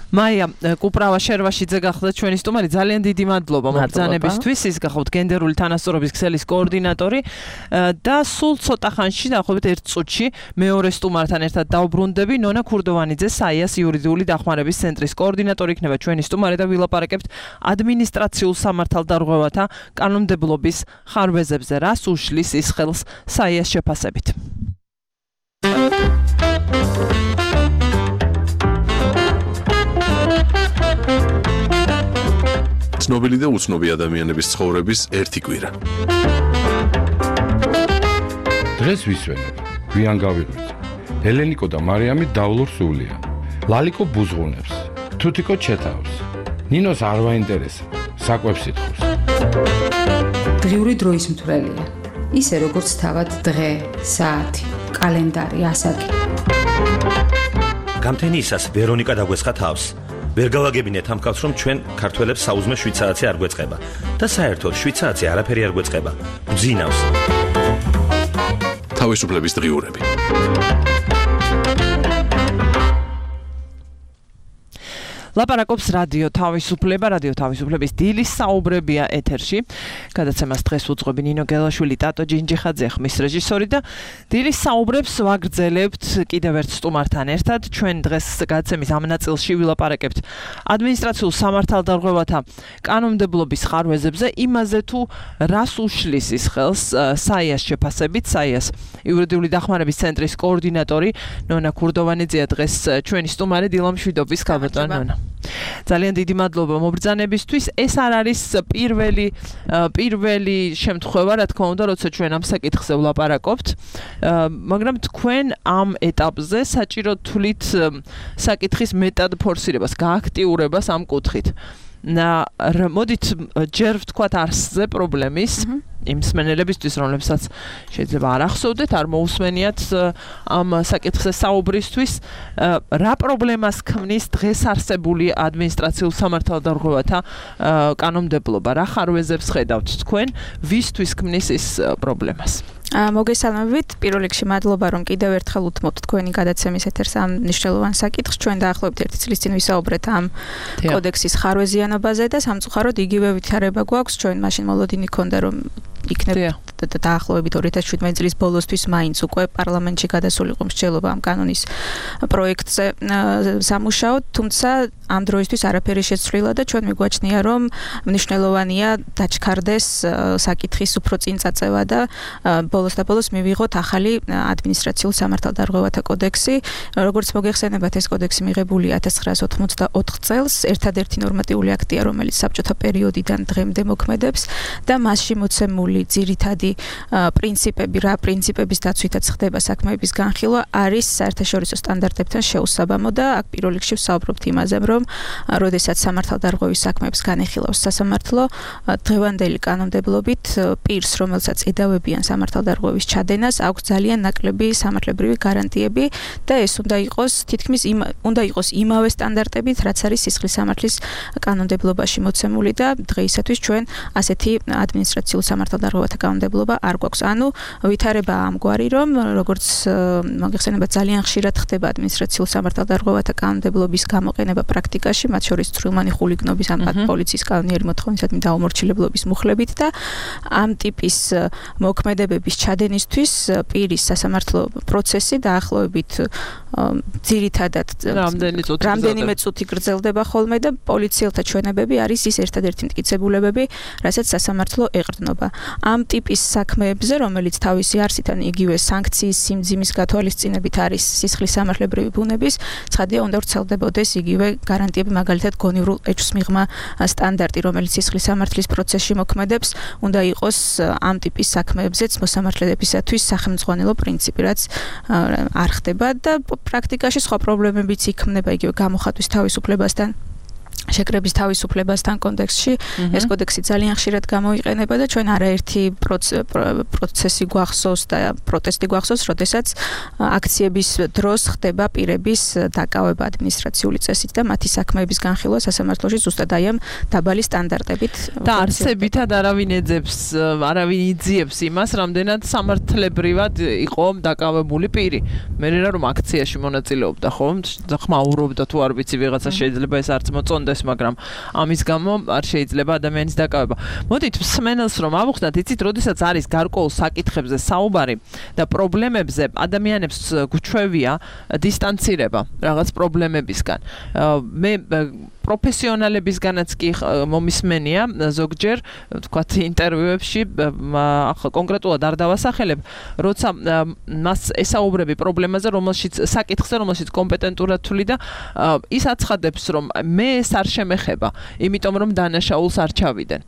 მაია კუპრავა შერვაშიძე გახდა ჩვენი სტუმარი. ძალიან დიდი მადლობა მობრძანებისთვის. ის გახავთ გენდერული თანასწორობის ქსელის კოორდინატორი და სულ ცოტა ხანში, დაახლოებით ერთ წუთში მეორე სტუმართან ერთად დავბრუნდები. ნონა ქურდოვანიძე, საიას იურიდიული დახმარების ცენტრის კოორდინატორი იქნება ჩვენი სტუმარი და ვილაპარაკებთ ადმინისტრაციულ სამართალდარღვევათა კანონმდებლობის ხარვეზებზე, რას უშლის ის ხელს საიას შეფასებით. ცნობილი და უცნობი ადამიანების ცხოვრების ერთი კვირა. დღეს ვისვენებ, გვიან გავიღვიძე. ელენიკო და მარიამი დავლურ სულია. ლალიკო ბუზღუნებს, თუთიკო ჩეთავს. ნინოს არ ვაინტერესებს, საკვებს ითხოვს. დღიური დროის მთვრელია. ისე როგორც თავად დღე, საათი, კალენდარი, ასაკი. გამთენიისას ვერონიკა დაგვესხა თავს. ვერ გავაგებინეთ ამ კაცს, რომ ჩვენ ქართველებს საუზმე შვიდ საათი არ გვეწყება და საერთოდ შვიდ საათი არაფერი არ გვეწყება. ბძინავს. თავისუფლების დღიურები. ლაპარაკობს რადიო თავისუფლება, რადიო თავისუფლების დილის საუბრებია ეთერში. გადაცემას დღეს უძღვები ნინო გელაშვილი, ტატო ჯინჯიხაძე, ხმის რეჟისორი და დილის საუბრებს ვაგრძელებთ კიდევ ერთ სტუმართან ერთად. ჩვენ დღეს გადაცემის ამ ნაწილში ვილაპარაკებთ ადმინისტრაციულ სამართალდარღვევათა კანონმდებლობის ხარვეზებზე, იმაზე თუ რას უშლის ის ხელს საიას შეფასებით. საიას იურიდიული დახმარების ცენტრის კოორდინატორი ნონა ქურდოვანიძეა დღეს ჩვენი სტუმარი დილა მშვიდობის ქალბატონი ნონა. ძალიან დიდი მადლობა მობრძანებისთვის. ეს არ არის პირველი პირველი შემთხვევა, რა თქმა უნდა, როცა ჩვენ ამ საკითხზე ვლაპარაკობთ, მაგრამ თქვენ ამ ეტაპზე საჭირო თვლით საკითხის მეტად ფორსირებას, გააქტიურებას ამ კუთხით. მოდით ჯერ ვთქვათ არსზე პრობლემის იმ მსმენელებისთვის, რომლებსაც შეიძლება არ ახსოვდეთ, არ მოусმენიათ ამ საკითხზე საუბრისთვის, რა პრობლემას ქმნის დღეს არსებული ადმინისტრაციულ სამართალდარღვევათა კანონმდებლობა, რა ხარვეზებს ხედავთ თქვენ, ვისთვის ქმნის ის პრობლემას? მოგესალმებით, პირველ რიგში მადლობა, რომ კიდევ ერთხელ უთმობთ თქვენი გადაცემის ეთერს ამ მნიშვნელოვან საკითხს. ჩვენ დაახლოებით ერთი წლის წინ ვისაუბრეთ ამ კოდექსის ხარვეზიანობაზე და სამწუხაროდ იგივე ვითარება გვაქვს. ჩვენ მაშინ მოლოდინი ჰქონდა, რომ იქნებ დაახლოებით ორი ათას შვიდმეტი წლის ბოლოსთვის მაინც უკვე პარლამენტში გადასულიყო მსჯელობა ამ კანონის პროექტზე სამუშაოდ, თუმცა ამ დროისთვის არაფერი შეცვლილა და ჩვენ მიგვაჩნია, რომ მნიშვნელოვანია დაჩქარდეს საკითხის უფრო წინ წაწევა და ბოლოს და ბოლოს მივიღოთ ახალი ადმინისტრაციულ სამართალდარღვევათა კოდექსი. როგორც მოგეხსენებათ, ეს კოდექსი მიღებულია ათას ცხრაას ოთხმოცდაოთხ წელს, ერთადერთი ნორმატიული აქტია, რომელიც საბჭოთა პერიოდიდან დღემდე მოქმედებს და მასში მოცემული ძირითადი პრინციპები, რა პრინციპების დაცვითაც ხდება საქმეების განხილვა, არის საერთაშორისო სტანდარტებთან შეუსაბამო და აქ პირველ რიგში ვსაუბრობთ იმაზე, რომ როდესაც სამართალდარღვევის საქმეებს განეხილავს სასამართლო, დღევანდელი კანონმდებლობით პირს, რომელსაც ედავებიან სამართალდარღვევის ჩადენას, აქვს ძალიან ნაკლები სამართლებრივი გარანტიები და ეს უნდა იყოს თითქმის უნდა იყოს იმავე სტანდარტებით, რაც არის სისხლის სამართლის კანონმდებლობაში მოცემული და დღეისათვის ჩვენ ასეთი ადმინისტრაციულ სამართალდარღვევათა კანონმდებლობა არ გვაქვს. ანუ ვითარება ამგვარი, რომ როგორც მოგეხსენებათ, ძალიან ხშირად ხდება ადმინისტრაციულ სამართალდარღვევათა კანონმდებლობის გამოყენება პრაქტიკაში, მათ შორის წვრილმანი ხულიგნობის ან პოლიციის კანონიერი მოთხოვნისადმი დაუმორჩილებლობის მუხლებით და ამ ტიპის მოქმედებების ჩადენისთვის პირის სასამართლო პროცესი დაახლოებით ძირითადად რამდენიმე წუთი გრძელდება ხოლმე და პოლიციელთა ჩვენებები არის ის ერთადერთი მტკიცებულებები, რასაც სასამართლო ეყრდნობა. ამ ტიპის საქმეებზე, რომელიც თავისი არსით ან იგივე სანქციის სიმძიმის გათვალისწინებით არის სისხლის სამართლებრივი ბუნების, ცხადია უნდა ვრცელდებოდეს იგივე გარანტიები, მაგალითად გონივრულ ეჭვს მიღმა სტანდარტი, რომელიც სისხლის სამართლის პროცესში მოქმედებს, უნდა იყოს ამ ტიპის საქმეებზეც მოსამართლეებისათვის სახელმძღვანელო პრინციპი, რაც არ ხდება და პრაქტიკაში სხვა პრობლემებიც იქმნება იგივე გამოხატვის თავისუფლებასთან, შეკრების თავისუფლებასთან კონტექსტში. ეს კოდექსი ძალიან ხშირად გამოიყენება და ჩვენ არაერთი პროცესი გვახსოვს და პროტესტი გვახსოვს, როდესაც აქციების დროს ხდება პირების დაკავება ადმინისტრაციული წესით და მათი საქმეების განხილვა სასამართლოში ზუსტად აი ამ დაბალი სტანდარტებით. და არსებითად არავინ ეძებს, არავინ იძიებს იმას, რამდენად სამართლებრივად იყო დაკავებული პირი. მე რა რომ აქციაში მონაწილეობდა, ხო? ხმაურობდა თუ არ ვიცი, ვიღაცა შეიძლება ეს არც მოწონდეს, მაგრამ ამის გამო არ შეიძლება ადამიანის დაკავება. მოდით მსმენელს რომ ავუხსნათ, იცით, როდესაც არის გარკვეულ საკითხებზე საუბარი და პრობლემებზე, ადამიანებს გვჩვევია დისტანცირება რაღაც პრობლემებისგან. მე პროფესიონალებისგანაც კი მომისმენია ზოგჯერ, თქვათ, ინტერვიუებში, ახლა კონკრეტულად არ დავასახელებ, როცა მას ესაუბრები პრობლემაზე, რომელშიც საკითხზე, რომელშიც კომპეტენტურად თვლი და ის აცხადებს, რომ მე ეს არ შემეხება, იმიტომ რომ დანაშაულს არ ჩავიდენ.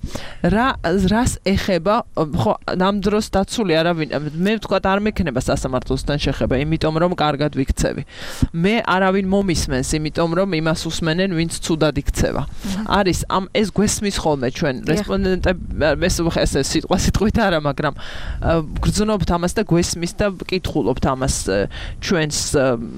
რა რას ეხება, ხო, ამ დროს დაცული არავინ, მე ვთქვათ, არ მექნება სასამართლოსთან შეხება, იმიტომ რომ კარგად ვიქცევი. მე არავინ მომისმენს, იმიტომ რომ იმას უსმენენ, ვინც ცუდად იქცევა. არის ამ ეს გვესმის ხოლმე ჩვენ რესპონდენტები, ეს ეს სიტყვა სიტყვით არა, მაგრამ გრძნობთ ამას და გვესმის და ვკითხულობთ ამას ჩვენს,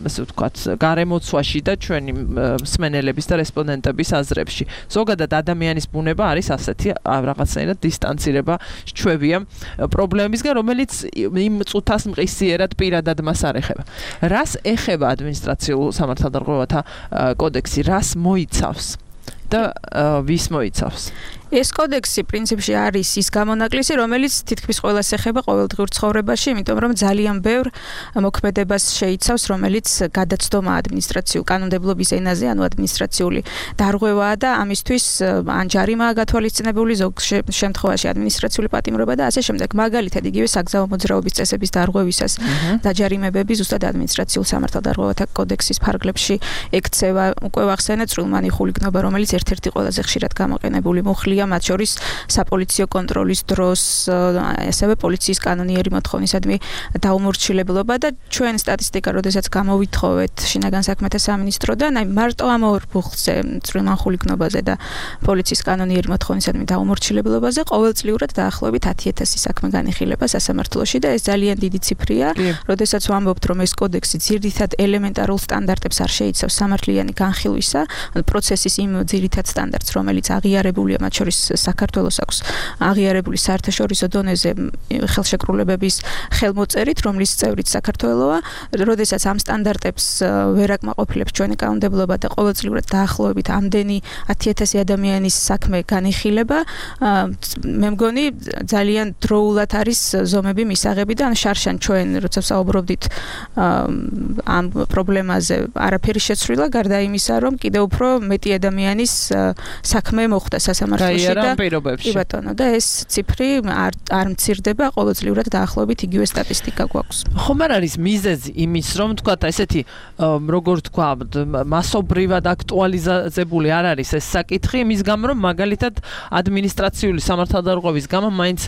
ასე ვთქვათ, გარემოცვაში და ჩვენი მსმენელების და რესპონდენტების აზრებში. ზოგადად ადამიანის ბუნება არის ასეთი, რაღაცნაირად დისტანცირება ჩვევია პრობლემისგან, რომელიც იმ წუთას მყისიერად პირადად მას არ ეხება. რას ეხება ადმინისტრაციულ სამართალდარღვევათა კოდექსი, რას მოიცავს? და ვის მოიცავს? ეს კოდექსი პრინციპში არის ის გამონაკლისი, რომელიც თითქმის ყველას ეხება ყოველდღიურ ცხოვრებაში, იმიტომ რომ ძალიან ბევრ მოქმედებას შეიცავს, რომელიც გადაცდომა ადმინისტრაციულ კანონმდებლობის ენაზე, ანუ ადმინისტრაციული დარღვევაა და ამისთვის ან ჯარიმაა გათვალისწინებული, ზოგ შემთხვევაში ადმინისტრაციული პატიმრობა და ასე შემდეგ. მაგალითად, იგივე საგზაო მოძრაობის წესების დარღვევისას დაჯარიმებები ზუსტად ადმინისტრაციულ სამართალდარღვევათა კოდექსის ფარგლებში ექცევა. უკვე ვახსენეთ წვრილმანი ხულიგნობა, რომელიც ერთ-ერთი ყველაზე ხშირად გამოყენებული მუხლია მათ შორის საპოლიციო კონტროლის დროს, ასევე პოლიციის კანონიერი მოთხოვნისადმი დაუმორჩილებლობა და ჩვენ სტატისტიკა, როდესაც გამოვითხოვეთ შინაგან საქმეთა სამინისტროდან, აი მარტო ამ ორ ბუხლზე, წვრილმან ხულიგნობაზე და პოლიციის კანონიერი მოთხოვნისადმი დაუმორჩილებლობაზე ყოველწლიურად დაახლოებით ათი ათასი საქმე განიხილება სასამართლოში და ეს ძალიან დიდი ციფრია, როდესაც ვამბობთ, რომ ეს კოდექსი ძირითად ელემენტარულ სტანდარტებს არ შეიცავს სამართლიანი განხილვისა, პროცესის იმ ძირითად სტანდარტს, რომელიც აღიარებულია მათ შორის საქართველოს აქვს აღიარებული საერთაშორისო დონეზე ხელშეკრულებების ხელმოწერით, რომლის წევრიც საქართველოა, როდესაც ამ სტანდარტებს ვერ აკმაყოფილებს ჩვენი კანონმდებლობა და ყოველწლიურად დაახლოებით ამდენი ათი ათასი ადამიანის საქმე განიხილება, მე მგონი ძალიან დროულად არის ზომები მისაღები და ან შარშან ჩვენ როცა საუბრობდით ამ პრობლემაზე არაფერი შეცვლილა, გარდა იმისა, რომ კიდევ უფრო მეტი ადამიანის საქმე მოხდა სასამართლოში და კი ბატონო და ეს ციფრი არ არ მცირდება, ყოველწლიურად დაახლოებით იგივე სტატისტიკა გვაქვს. ხომ არ არის მიზეზი იმის, რომ თქვა ესეთი როგორ თქვა მასობრივად აქტუალიზებული არ არის ეს საკითხი, იმის გამო რომ მაგალითად ადმინისტრაციული სამართალდარღვევის გამო მაინც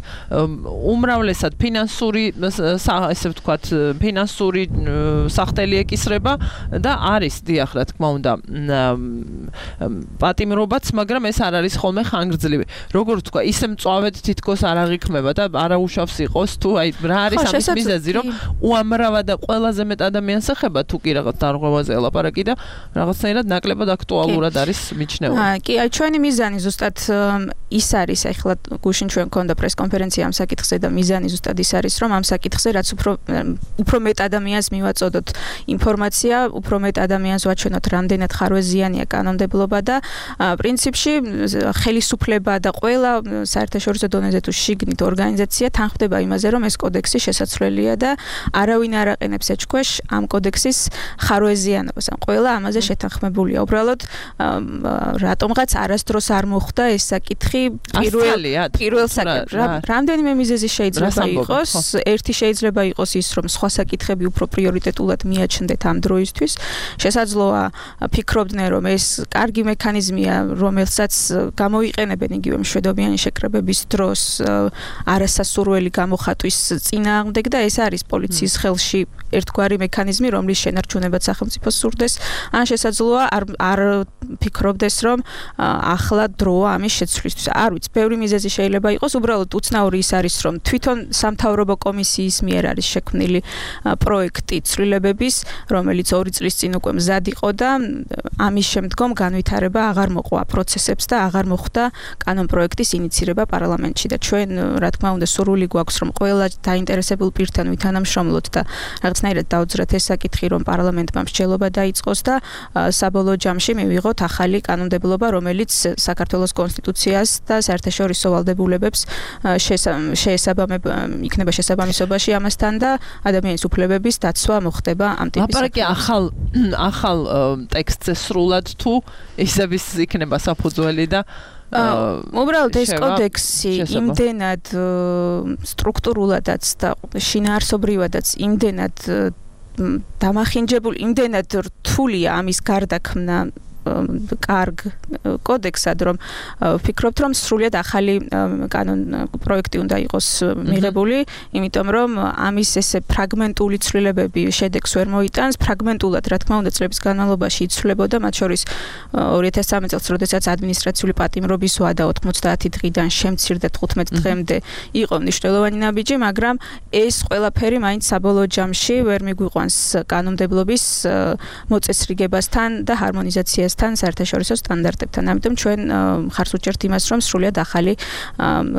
უმრავლესად ფინანსური ესე ვთქვათ ფინანსური სახტელი ეკისრება და არის დიახ რა თქმა უნდა პატიმრობაც, მაგრამ ეს არ არის ხოლმე ხანგრძლივი. როგორ თქვა, ისე მწვავედ თითქოს არ აღიქმება და არაუშავს იყოს თუ აი რა არის ამის მიზეზი, რომ უამრავა და ყველაზე მეტ ადამიანს ეხება თუ კი რაღაც დარღვევაზე ელაპარაკი და რაღაცნაირად ნაკლებად აქტუალურად არის მიჩნეული. აა კი, აი ჩვენი მიზანი ზუსტად ის არის, ახლა გუშინ ჩვენ გქონდა პრესკონფერენცია ამ საკითხზე და მიზანი ზუსტად ის არის, რომ ამ საკითხზე რაც უფრო უფრო მეტ ადამიანს მივაწოდოთ ინფორმაცია, უფრო მეტ ადამიანს ვაჩვენოთ, რამდენად ხარვეზიანია კანონმდებლობა და პრინციპში ხელისუფლება და ყველა საერთაშორისო დონეზე თუ შიგნით ორგანიზაცია თანხმდება იმაზე, რომ ეს კოდექსი შესაძლებელია და არავინ არ აყენებს ეჭქვეშ ამ კოდექსის ხარვეზიანობას. ან ყველა ამაზე შეთანხმებულია. უბრალოდ რატომღაც არასდროს არ მოხდა ეს საკითხი პირველ პირველ საკითხი. რამდენიმე მიზეზი შეიძლება იყოს. ერთი შეიძლება იყოს ის, რომ სხვა საკითხები უფრო პრიორიტეტულად მიაჩნდეთ ამ დროისთვის. შესაძლოა ფიქრობდნენ, რომ ეს კარგი მექანიზმია, რომელსაც გამოიყენებენ იგივე მშვიდობიანი შეკრებების დროს არასასურველი გამოხატვის წინააღმდეგ და ეს არის პოლიციის ხელში ერთგვარი მექანიზმი, რომლის შენარჩუნებაც სახელმწიფოს სურდეს. ან შესაძლოა არ არ ფიქრობდეს, რომ ახლა დროა ამის შეცვლისთვის. არ ვიცი, ბევრი მიზეზი შეიძლება იყოს, უბრალოდ უცნაური ის არის, რომ თვითონ სამთავრობო კომისიის მიერ არის შექმნილი პროექტი ცვლილებების, რომელიც ორი წლის წინ უკვე მზად იყო და ამის შემდგომ განვითარება აღარ მოყვა პროცესებს და აღარ მოხდა კანონპროექტის ინიცირება პარლამენტში და ჩვენ რა თქმა უნდა სურვილი გვაქვს, რომ ყველა დაინტერესებულ პირთან ვითანამშრომლოთ და რაღაცნაირად დაუძრათ ეს საკითხი, რომ პარლამენტმა მსჯელობა დაიწყოს და საბოლოო ჯამში მივიღოთ ახალი კანონმდებლობა, რომელიც საქართველოს კონსტიტუციას და საერთაშორისო ვალდებულებებს შეესაბამება, იქნება შესაბამისობაში ამასთან და ადამიანის უფლებების დაცვა მოხდება ამ ტიპის. ლაპარაკი ახალ ახალ ტექსტზე სრულად თუ ისების იქნება საფუძველი და უბრალოდ ეს კოდექსი იმდენად სტრუქტურულადაც და შინაარსობრივადაც იმდენად დამახინჯებული, იმდენად რთულია ამის გარდაქმნა კარგ კოდექსად, რომ ვფიქრობთ, რომ სრულიად ახალი კანონ პროექტი უნდა იყოს მიღებული, იმიტომ რომ ამის ესე ფრაგმენტული ცვლილებები შედეგს ვერ მოიტანს, ფრაგმენტულად, რა თქმა უნდა, წლების განმავლობაში იცვლებოდა, მათ შორის ორი ათას სამი წელს, როდესაც ადმინისტრაციული პატიმრობის ვადა ოცდაათი დღიდან შემცირდა თხუთმეტ დღემდე იყო მნიშვნელოვანი ნაბიჯი, მაგრამ ეს ყველაფერი მაინც საბოლოო ჯამში ვერ მიგვიყვანს კანონმდებლობის მოწესრიგებასთან და ჰარმონიზაციასთან ქვეყანასთან საერთაშორისო სტანდარტებთან. ამიტომ ჩვენ ხარს უჭერთ იმას, რომ სრულიად ახალი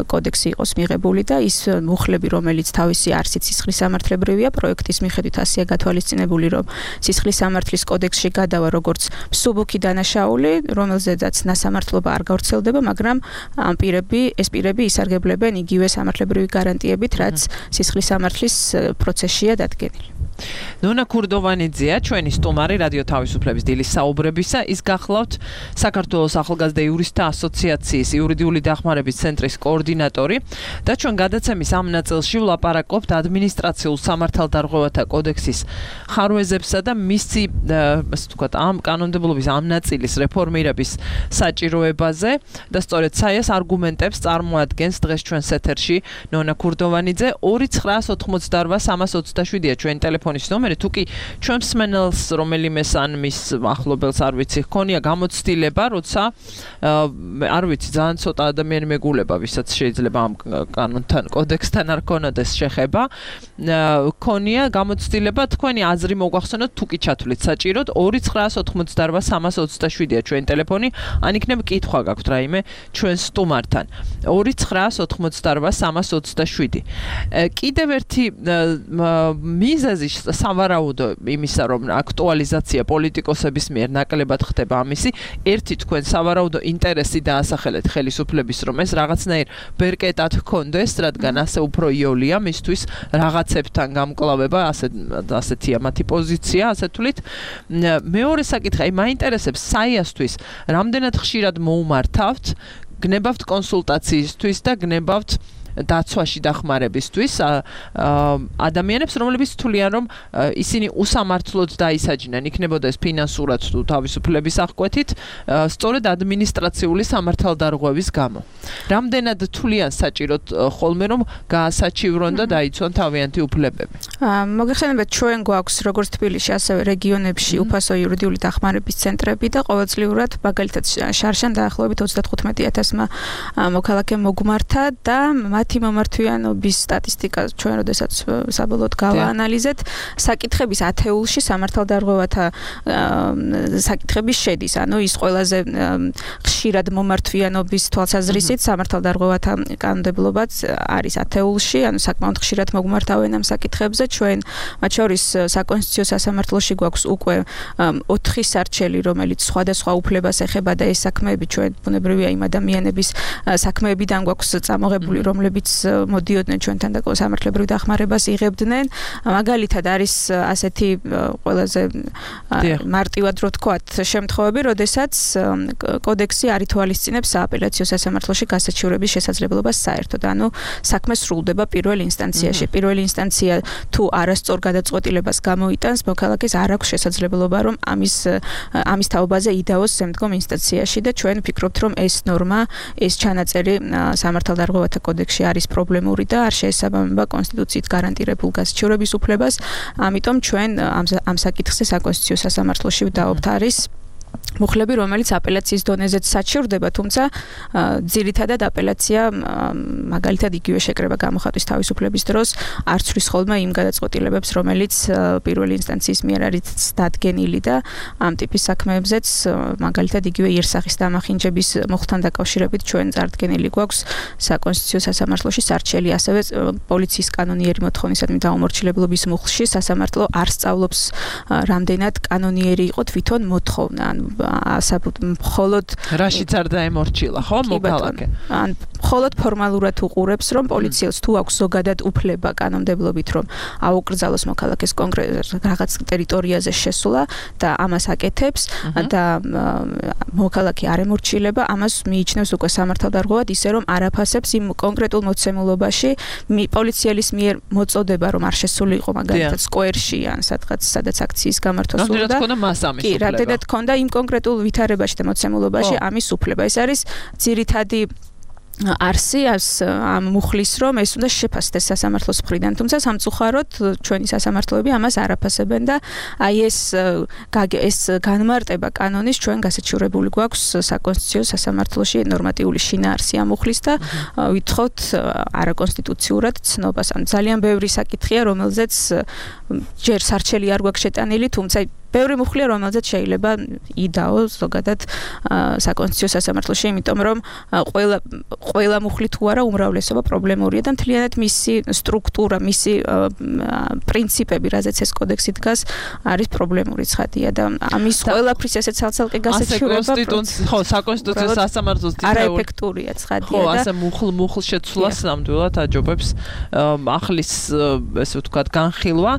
კოდექსი იყოს მიღებული და ის მუხლები, რომელიც თავისი არსით სისხლის სამართლებრივია, პროექტის მიხედვით ასეა გათვალისწინებული, რომ სისხლის სამართლის კოდექსში გადავა როგორც მსუბუქი დანაშაული, რომელზედაც ნასამართლობა არ გავრცელდება, მაგრამ ამ პირები, ეს პირები ისარგებლებენ იგივე სამართლებრივი გარანტიებით, რაც სისხლის სამართლის პროცესშია დადგენილი. ნონა ქურდოვანიძეა ჩვენი სტუმარი რადიო თავისუფლების დილის საუბრებისა. ის გახლავთ საქართველოს ახალგაზრდა იურისტთა ასოციაციის იურიდიული დახმარების ცენტრის კოორდინატორი და ჩვენ გადაცემის ამ ნაწილში ვლაპარაკობთ ადმინისტრაციულ სამართალდარღვევათა კოდექსის ხარვეზებსა და მისი, ასე ვთქვათ, ამ კანონმდებლობის ამ ნაწილის რეფორმირების საჭიროებაზე და სწორედ საიას არგუმენტებს წარმოადგენს დღეს ჩვენს ეთერში ნონა ქურდოვანიძე. ორი ცხრაას ოთხმოცდაორვა სამას ოცდაშვიდია ჩვენი ტელეფონის ნომერი. თუ კი ჩვენ მსმენელს რომელიმეს ან მის ახლობელს არ ვიცი ჰქონია გამოცდილება, როცა არ ვიცი ძალიან ცოტა ადამიანი მეგულება, ვისაც შეიძლება ამ კანონთან, კოდექსთან არ ქონოდეს შეხება, ჰქონია გამოცდილება, თქვენი აზრი მოგვახსენოთ, თუ კი ჩათვლით საჭიროდ ორი ცხრაას ოთხმოცდაორვა სამას ოცდაშვიდია ჩვენი ტელეფონი, ან იქნებ კითხვა გაქვთ რაიმე ჩვენ სტუმართან. ორი ცხრაას ოთხმოცდაორვა სამას ოცდაშვიდი. კიდევ ერთი მიზეზი სავარაუდო იმისა, რომ აქტუალიზაცია პოლიტიკოსების მიერ ნაკლებად ხდება ამისი, ერთი თქვენ სავარაუდო ინტერესი დაასახელეთ ხელისუფლების, რომ ეს რაღაცნაირ ბერკეტად ჰქონდეს, რადგან ასე უფრო იოლია მისთვის რაღაცებთან გამკლავება, ასე ასეთია მათი პოზიცია, ასე თვლით. მეორე საკითხი, აი მაინტერესებს საიასთვის რამდენად ხშირად მოუმართავთ, გნებავთ კონსულტაციისთვის და გნებავთ დაცვაში დახმარებისთვის ადამიანებს, რომლებიც თვლიან, რომ ისინი უსამართლოდ დაისაჯნენ, იქნებოდა ეს ფინანსურად თუ თავისუფლების აღკვეთით, სწორედ ადმინისტრაციული სამართალდარღვევის გამო. რამდენად თვლიან საჭიროდ ხოლმე, რომ გაასაჩივრონ და დაიცვან თავიანთი უფლებები? მოგეხსენებათ, ჩვენ გვაქვს როგორც თბილისში, ასევე რეგიონებში უფასო იურიდიული დახმარების ცენტრები და ყოველწლიურად, მაგალითად, შარშან დაახლოებით ოცდათხუთმეტი ათასმა მოქალაქე მოგმართა და მათი მომართვიანობის სტატისტიკა ჩვენ როდესაც საბოლოოდ გავაანალიზეთ, საკითხების ათეულში სამართალდარღვევათა საკითხების შედის. ანუ ის ყველაზე ხშირად მომართვიანობის თვალსაზრისით სამართალდარღვევათა კანონმდებლობაც არის ათეულში, ანუ საკმაოდ ხშირად მოგმართავენ ამ საკითხებზე. ჩვენ მათ შორის საკონსტიტუციო სასამართლოში გვაქვს უკვე ოთხი სარჩელი, რომელიც სხვადასხვა უფლებას ეხება და ეს საქმეები ჩვენ ბუნებრივია იმ ადამიანების საქმეებიდან გვაქვს წამოღებული, რომლებიც მოდიოდნენ ჩვენთან და სამართლებრივ დახმარებას იღებდნენ. მაგალითად არის ასეთი ყველაზე მარტივად რო ვთქვათ შემთხვევები, როდესაც კოდექსი არ ითვალისწინებს სააპელაციო სასამართლოში გასაჩივრების შესაძლებლობას საერთოდ. ანუ საქმე სრულდება პირველ ინსტანციაში. პირველი ინსტანცია თუ არასწორ გადაწყვეტილებას გამოიტანს, მოქალაქეს არ აქვს შესაძლებლობა, რომ ამის ამის თაობაზე იდაოს შემდგომ ინსტანციაში და ჩვენ ვფიქრობთ, რომ ეს ნორმა, ეს ჩანაწერი სამართალდარღვევათა კოდექსში არის პრობლემური და არ შეესაბამება კონსტიტუციით გარანტირებულ გასაჩივრების უფლებას. ამიტომ ჩვენ ამ ამ საკითხზე საკონსტიტუციო სასამართლოში ვდაობთ არის მუხლები, რომელიც აპელაციის დონეზეც საჩივრდება, თუმცა ძირითადად აპელაცია მაგალითად იგივე შეკრება გამოხატვის თავისუფლების დროს არ ცვლის ხოლმე იმ გადაწყვეტილებებს, რომელიც პირველი ინსტანციის მიერ არის დადგენილი და ამ ტიპის საქმეებზეც მაგალითად იგივე იერსახის დამახინჯების მოხდთან დაკავშირებით ჩვენ წარდგენილი გვაქვს საკონსტიტუციო სასამართლოში სარჩელი, ასევე პოლიციის კანონიერი მოთხოვნისადმი დაუმორჩილებლობის მუხლში სასამართლო არ სწავლობს რამდენად კანონიერი იყო თვითონ მოთხოვნა. მხოლოდ რაშიც არ დაემორჩილა, ხო, მოქალაქე? ან მხოლოდ ფორმალურად უყურებს, რომ პოლიციელს თუ აქვს ზოგადად უფლება კანონმდებლობით, რომ აუკრძალოს მოქალაქეს კონკრეტ რაღაც ტერიტორიაზე შესვლა და ამას აკეთებს და მოქალაქე არ ემორჩილება, ამას მიიჩნევს უკვე სამართალდარღვევად, ისე რომ არაფასებს იმ კონკრეტულ მოცემულობაში პოლიციელის მიერ მოწოდება, რომ არ შესულიყო მაგალითად სკვერში ან სადღაც სადაც აქციის გამართვა სურდა. რამდენად ქონდა მას ამის უფლება? კი, რამდენად ქონდა იმ კონკრეტულ ვითარებაში და მოცემულობაში ამის უფლება. ეს არის ძირითადი არსი ამ მუხლის, რომ ეს უნდა შეფასდეს სასამართლოს მხრიდან, თუმცა სამწუხაროდ ჩვენი სასამართლოები ამას არაფასებენ და აი ეს ეს განმარტება კანონის ჩვენ გასაჩივრებული გვაქვს საკონსტიტუციო სასამართლოში ნორმატიული შინაარსი ამ მუხლის და ვითხოვთ არაკონსტიტუციურად ცნობას. ან ძალიან ბევრი საკითხია, რომელზეც ჯერ სარჩელი არ გვაქვს შეტანილი, თუმცა ბევრი მუხლია, რომელზეც შეიძლება იდაო ზოგადად საკონსტიტუციო სასამართლოში, იმიტომ რომ ყველა ყველა მუხლი თუ არა უმრავლესობა პრობლემურია და მთლიანად მისი სტრუქტურა, მისი პრინციპები, რაზეც ეს კოდექსი დგას, არის პრობლემური ცხადია და ამის ყველაფრის ესეც ცალ-ცალკე გასაჩივრება ხო, საკონსტიტუციო სასამართლოს არაეფექტურია ცხადია და ხო, ასე მუხლ მუხლ შეცვლას ნამდვილად აჯობებს ახლის ესე ვთქვათ განხილვა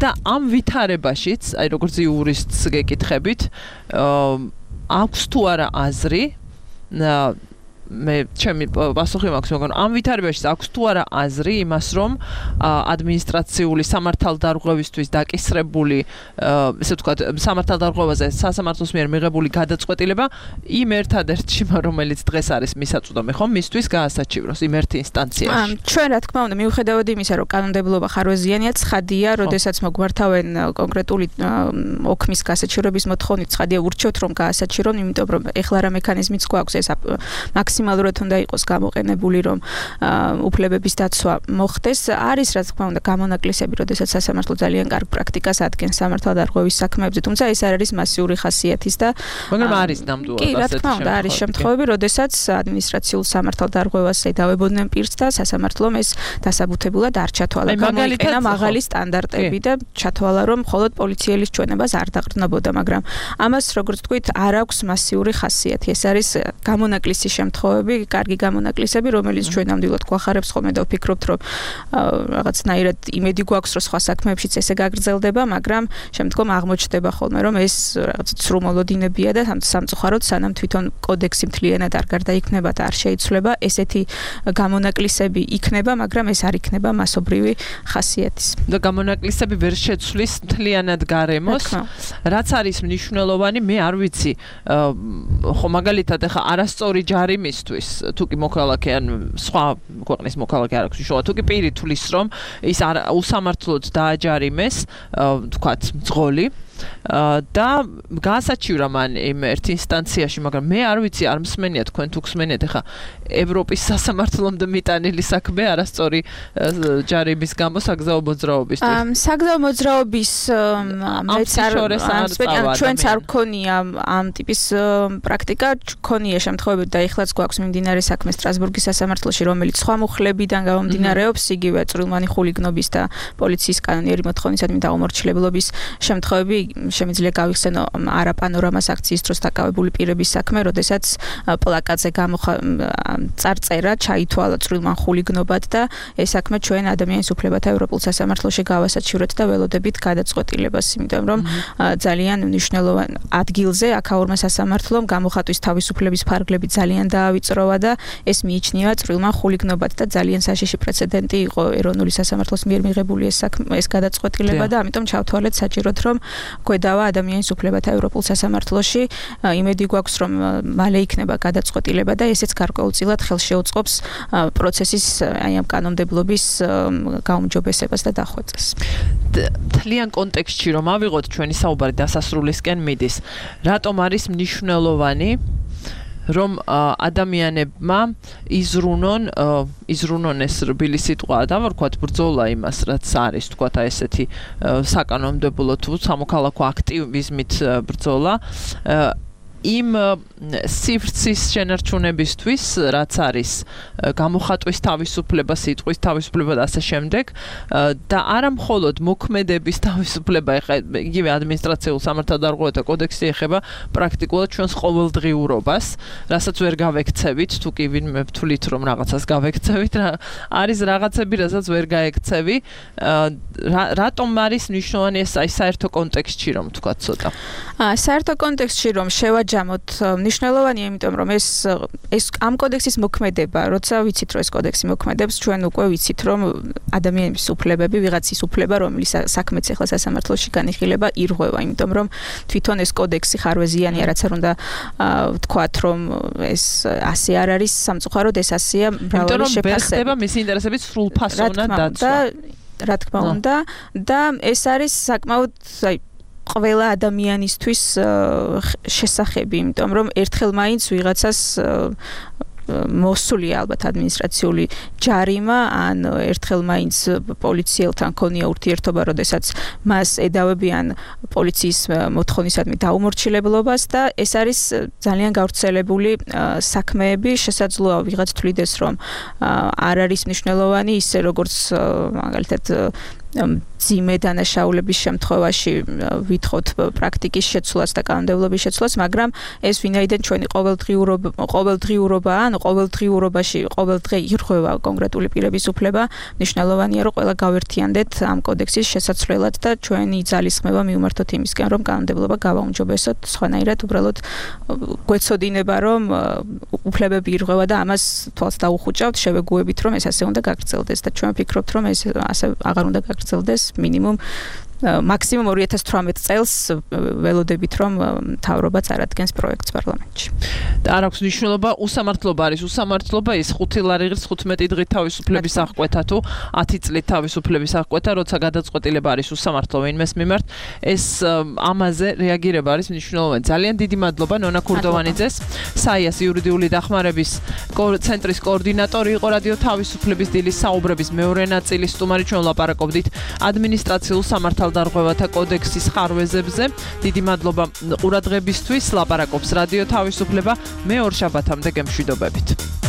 და ამ ვითარებაშიც, აი როგორც იურისტს გეკითხებით, აქვს თუ არა აზრი მე ჩემი პასუხი მაქვს, მაგრამ ამ ვითარებაში აქვს თუ არა აზრი იმას, რომ ადმინისტრაციული სამართალდარღვევისთვის დაკისრებული, ესე ვთქვათ, სამართალდარღვევაზე სასამართლოს მიერ მიღებული გადაწყვეტილება იმ ერთადერთში, რომელიც დღეს არის მისაწვდომი, ხომ, მისთვის გაასაჩივროს იმ ერთ ინსტანციაში. ჩვენ რა თქმა უნდა, მიუხედავად იმისა, რომ კანონმდებლობა ხარვეზიანია, ცხადია, როდესაც მოგმართავენ კონკრეტული ოქმის გასაჩივრების მოთხოვნით, ცხადია ურჩევთ, რომ გაასაჩივრონ, იმიტომ რომ ეხლა რა მექანიზმიც გვაქვს ეს მაქსიმალურად უნდა იყოს გამოყენებული, რომ უფლებების დაცვა მოხდეს. არის რა თქმა უნდა გამონაკლისები, როდესაც სასამართლო ძალიან კარგ პრაქტიკას ადგენს სამართალდარღვევის საქმეებზე, თუმცა ეს არ არის მასიური ხასიათის და მაგრამ არის ნამდვილად კი, რა თქმა უნდა, არის შემთხვევები, როდესაც ადმინისტრაციულ სამართალდარღვევას ედავებოდნენ პირს და სასამართლომ ეს დასაბუთებულად არ ჩათვალა. გამოიყენა მაღალი სტანდარტები და ჩათვალა, რომ მხოლოდ პოლიციელის ჩვენებას არ დაყრდნობოდა, მაგრამ ამას როგორც თქვით, არ აქვს მასიური ხასიათი. ეს არის გამონაკლისი შემთხვევები, კარგი გამონაკლისები, რომელიც ჩვენ ნამდვილად გვახარებს ხოლმე და ვფიქრობთ, რომ რაღაცნაირად იმედი გვაქვს, რომ სხვა საქმეებშიც ესე გაგრძელდება, მაგრამ შემდგომ აღმოჩნდება ხოლმე, რომ ეს რაღაც ცრუმოლოდინებია და სამწუხაროდ სანამ თვითონ კოდექსი მთლიანად არ გარდაიქმნება და არ შეიცვლება, ესეთი გამონაკლისები იქნება, მაგრამ ეს არ იქნება მასობრივი ხასიათის. და გამონაკლისები ვერ შეცვლის მთლიანად გარემოს, რაც არის მნიშვნელოვანი, მე არ ვიცი, ხო მაგალითად ახლა არასწორი ჯარი მისთვის, თუ კი მოქალაქე ან სხვა ქვეყნის მოქალაქე არ აქვს უშუალოდ, თუ კი პირი თulis რომ ის უსამართლოდ დააჯარიმეს, თქვათ, მძღოლი და გაასაჩივრა მან იმ ერთ ინსტანციაში, მაგრამ მე არ ვიცი, არ მსმენია თქვენ თუ გსმენიათ ახლა ევროპის სასამართლომდე მიტანილი საქმე არასწორი ჯარიმის გამო საგზაო მოძრაობისთვის. საგზაო მოძრაობის მეც არ ჩვენც არ გქონია ამ ტიპის პრაქტიკა, გქონია შემთხვევები და ეხლაც გვაქვს მიმდინარე საქმე სტრასბურგის სასამართლოში, რომელიც სხვა მუხლებიდან გამომდინარეობს, იგივე წვრილმანი ხულიგნობის და პოლიციის კანონიერი მოთხოვნისადმი დაუმორჩილებლობის შემთხვევები შემიძლია გავიხსენო არაპანორამას აქციის დროს დაკავებული პირების საქმე, როდესაც პლაკატზე წარწერა ჩაითვალა წვრილმან ხულიგნობად და ეს საქმე ჩვენ ადამიანის უფლებათა ევროპულ სასამართლოში გავასაჩივრეთ და ველოდებით გადაწყვეტილებას, იმიტომ რომ ძალიან მნიშვნელოვანი ადგილზე აქაურმა სასამართლომ გამოხატვის თავისუფლების ფარგლები ძალიან დაავიწროვა და ეს მიიჩნევა წვრილმან ხულიგნობად და ძალიან საშიში პრეცედენტი იყო ეროვნული სასამართლოს მიერ მიღებული ეს საქმე, ეს გადაწყვეტილება და ამიტომ ჩავთვალეთ საჭიროდ, რომ გვედავა ადამიანის უფლებათა ევროპულ სასამართლოში, იმედი გვაქვს, რომ მალე იქნება გადაწყვეტილება და ესეც გარკვეულწილად ხელს შეუწყობს პროცესის აი ამ კანონმდებლობის გაუმჯობესებას და დახვეწას. თლიან კონტექსტში რომ ავიღოთ ჩვენი საუბარი დასასრულისკენ მიდის, რატომ არის მნიშვნელოვანი რომ ადამიანებმა იზრუნონ იზრუნონ ეს რბილი სიტყვა და ვთქვათ ბრძოლა იმას, რაც არის, ვთქვათ აი ესეთი საკანონმდებლო თუ სამოქალაქო აქტივიზმით ბრძოლა იმ სივრცის შენარჩუნებისთვის, რაც არის გამოხატვის თავისუფლება, სიტყვის თავისუფლება და ასე შემდეგ და არა მხოლოდ მოქმედების თავისუფლება, ეხლა იგივე ადმინისტრაციულ სამართალდარღვევათა კოდექსი ეხება პრაქტიკულად ჩვენს ყოველდღიურობას, რასაც ვერ გავექცევით, თუ კი ვინმე ვთვლით, რომ რაღაცას გავექცევით, არის რაღაცები, რასაც ვერ გაექცევი, რატომ არის მნიშვნელოვანი ეს აი საერთო კონტექსტში რომ ვთქვათ ცოტა. საერთო კონტექსტში რომ შევაჯამოთ, მნიშვნელოვანია, იმიტომ რომ ეს ეს ამ კოდექსის მოქმედება, როცა ვიცით, რომ ეს კოდექსი მოქმედებს, ჩვენ უკვე ვიცით, რომ ადამიანების უფლებები, ვიღაცის უფლება, რომელიც საქმეც ახლა სასამართლოში განიხილება, ირღვევა, იმიტომ რომ თვითონ ეს კოდექსი ხარვეზიანია, რაც არ უნდა ვთქვათ, რომ ეს ასე არ არის, სამწუხაროდ ეს ასეა მრავალი შეფასება. იმიტომ რომ ვერ ხდება მისი ინტერესებით სრულფასოვნად დაცვა. რა თქმა უნდა, და ეს არის საკმაოდ აი ყველა ადამიანისთვის შესახები, იმიტომ რომ ერთხელ მაინც ვიღაცას მოსულია ალბათ ადმინისტრაციული ჯარიმა ან ერთხელ მაინც პოლიციელთან ქონია ურთიერთობა, როდესაც მას ედავებიან პოლიციის მოთხოვნისადმი დაუმორჩილებლობას და ეს არის ძალიან გავრცელებული საქმეები, შესაძლოა ვიღაც თვლიდეს, რომ არ არის მნიშვნელოვანი ისე როგორც მაგალითად ძიმე დანაშაულების შემთხვევაში ვითხოვთ პრაქტიკის შეცვლას და კანონმდებლობის შეცვლას, მაგრამ ეს ვინაიდან ჩვენი ყოველდღიურობა ყოველდღიურობა ან ყოველდღიურობაში ყოველდღე ირღვევა კონკრეტული პირების უფლება, მნიშვნელოვანია რომ ყველა გავერთიანდეთ ამ კოდექსის შესაცვლელად და ჩვენი ძალისხმევა მივმართოთ იმისკენ, რომ კანონმდებლობა გავაუმჯობესოთ, სხვანაირად უბრალოდ გვეცოდინება, რომ უფლებები ირღვევა და ამას თვალს დაუხუჭავთ, შევეგუებით, რომ ეს ასე უნდა გაგრძელდეს და ჩვენ ვფიქრობთ, რომ ეს ასე აღარ უნდა გაგრძელდეს მინიმუმ მაქსიმუმ ორი ათას თვრამეტ წელს ველოდებით, რომ მთავრობაც არადგენს პროექტს პარლამენტში. და არ აქვს მნიშვნელობა, უსამართლობა არის, უსამართლობა ის ხუთი ლარიღის თხუთმეტი დღით თავისუფლების აღკვეთა თუ ათი წლით თავისუფლების აღკვეთა, როცა გადაწყვეტილება არის უსამართლო ვინმეს მიმართ, ეს ამაზე რეაგირება არის მნიშვნელოვანი. ძალიან დიდი მადლობა ნონა ქურდოვანიძეს, საიას იურიდიული დახმარების ცენტრის კოორდინატორი იყო რადიო თავისუფლების დილის საუბრების მეორე ნაწილის სტუმარი, ჩვენ ვლაპარაკობდით ადმინისტრაციულ სამართალდარღვევათა კოდექსის ხარვეზებზე. დიდი მადლობა ყურადღებისთვის. ლაპარაკობს რადიო თავისუფლება. მე ორ შაბათამდე გემშვიდობებით.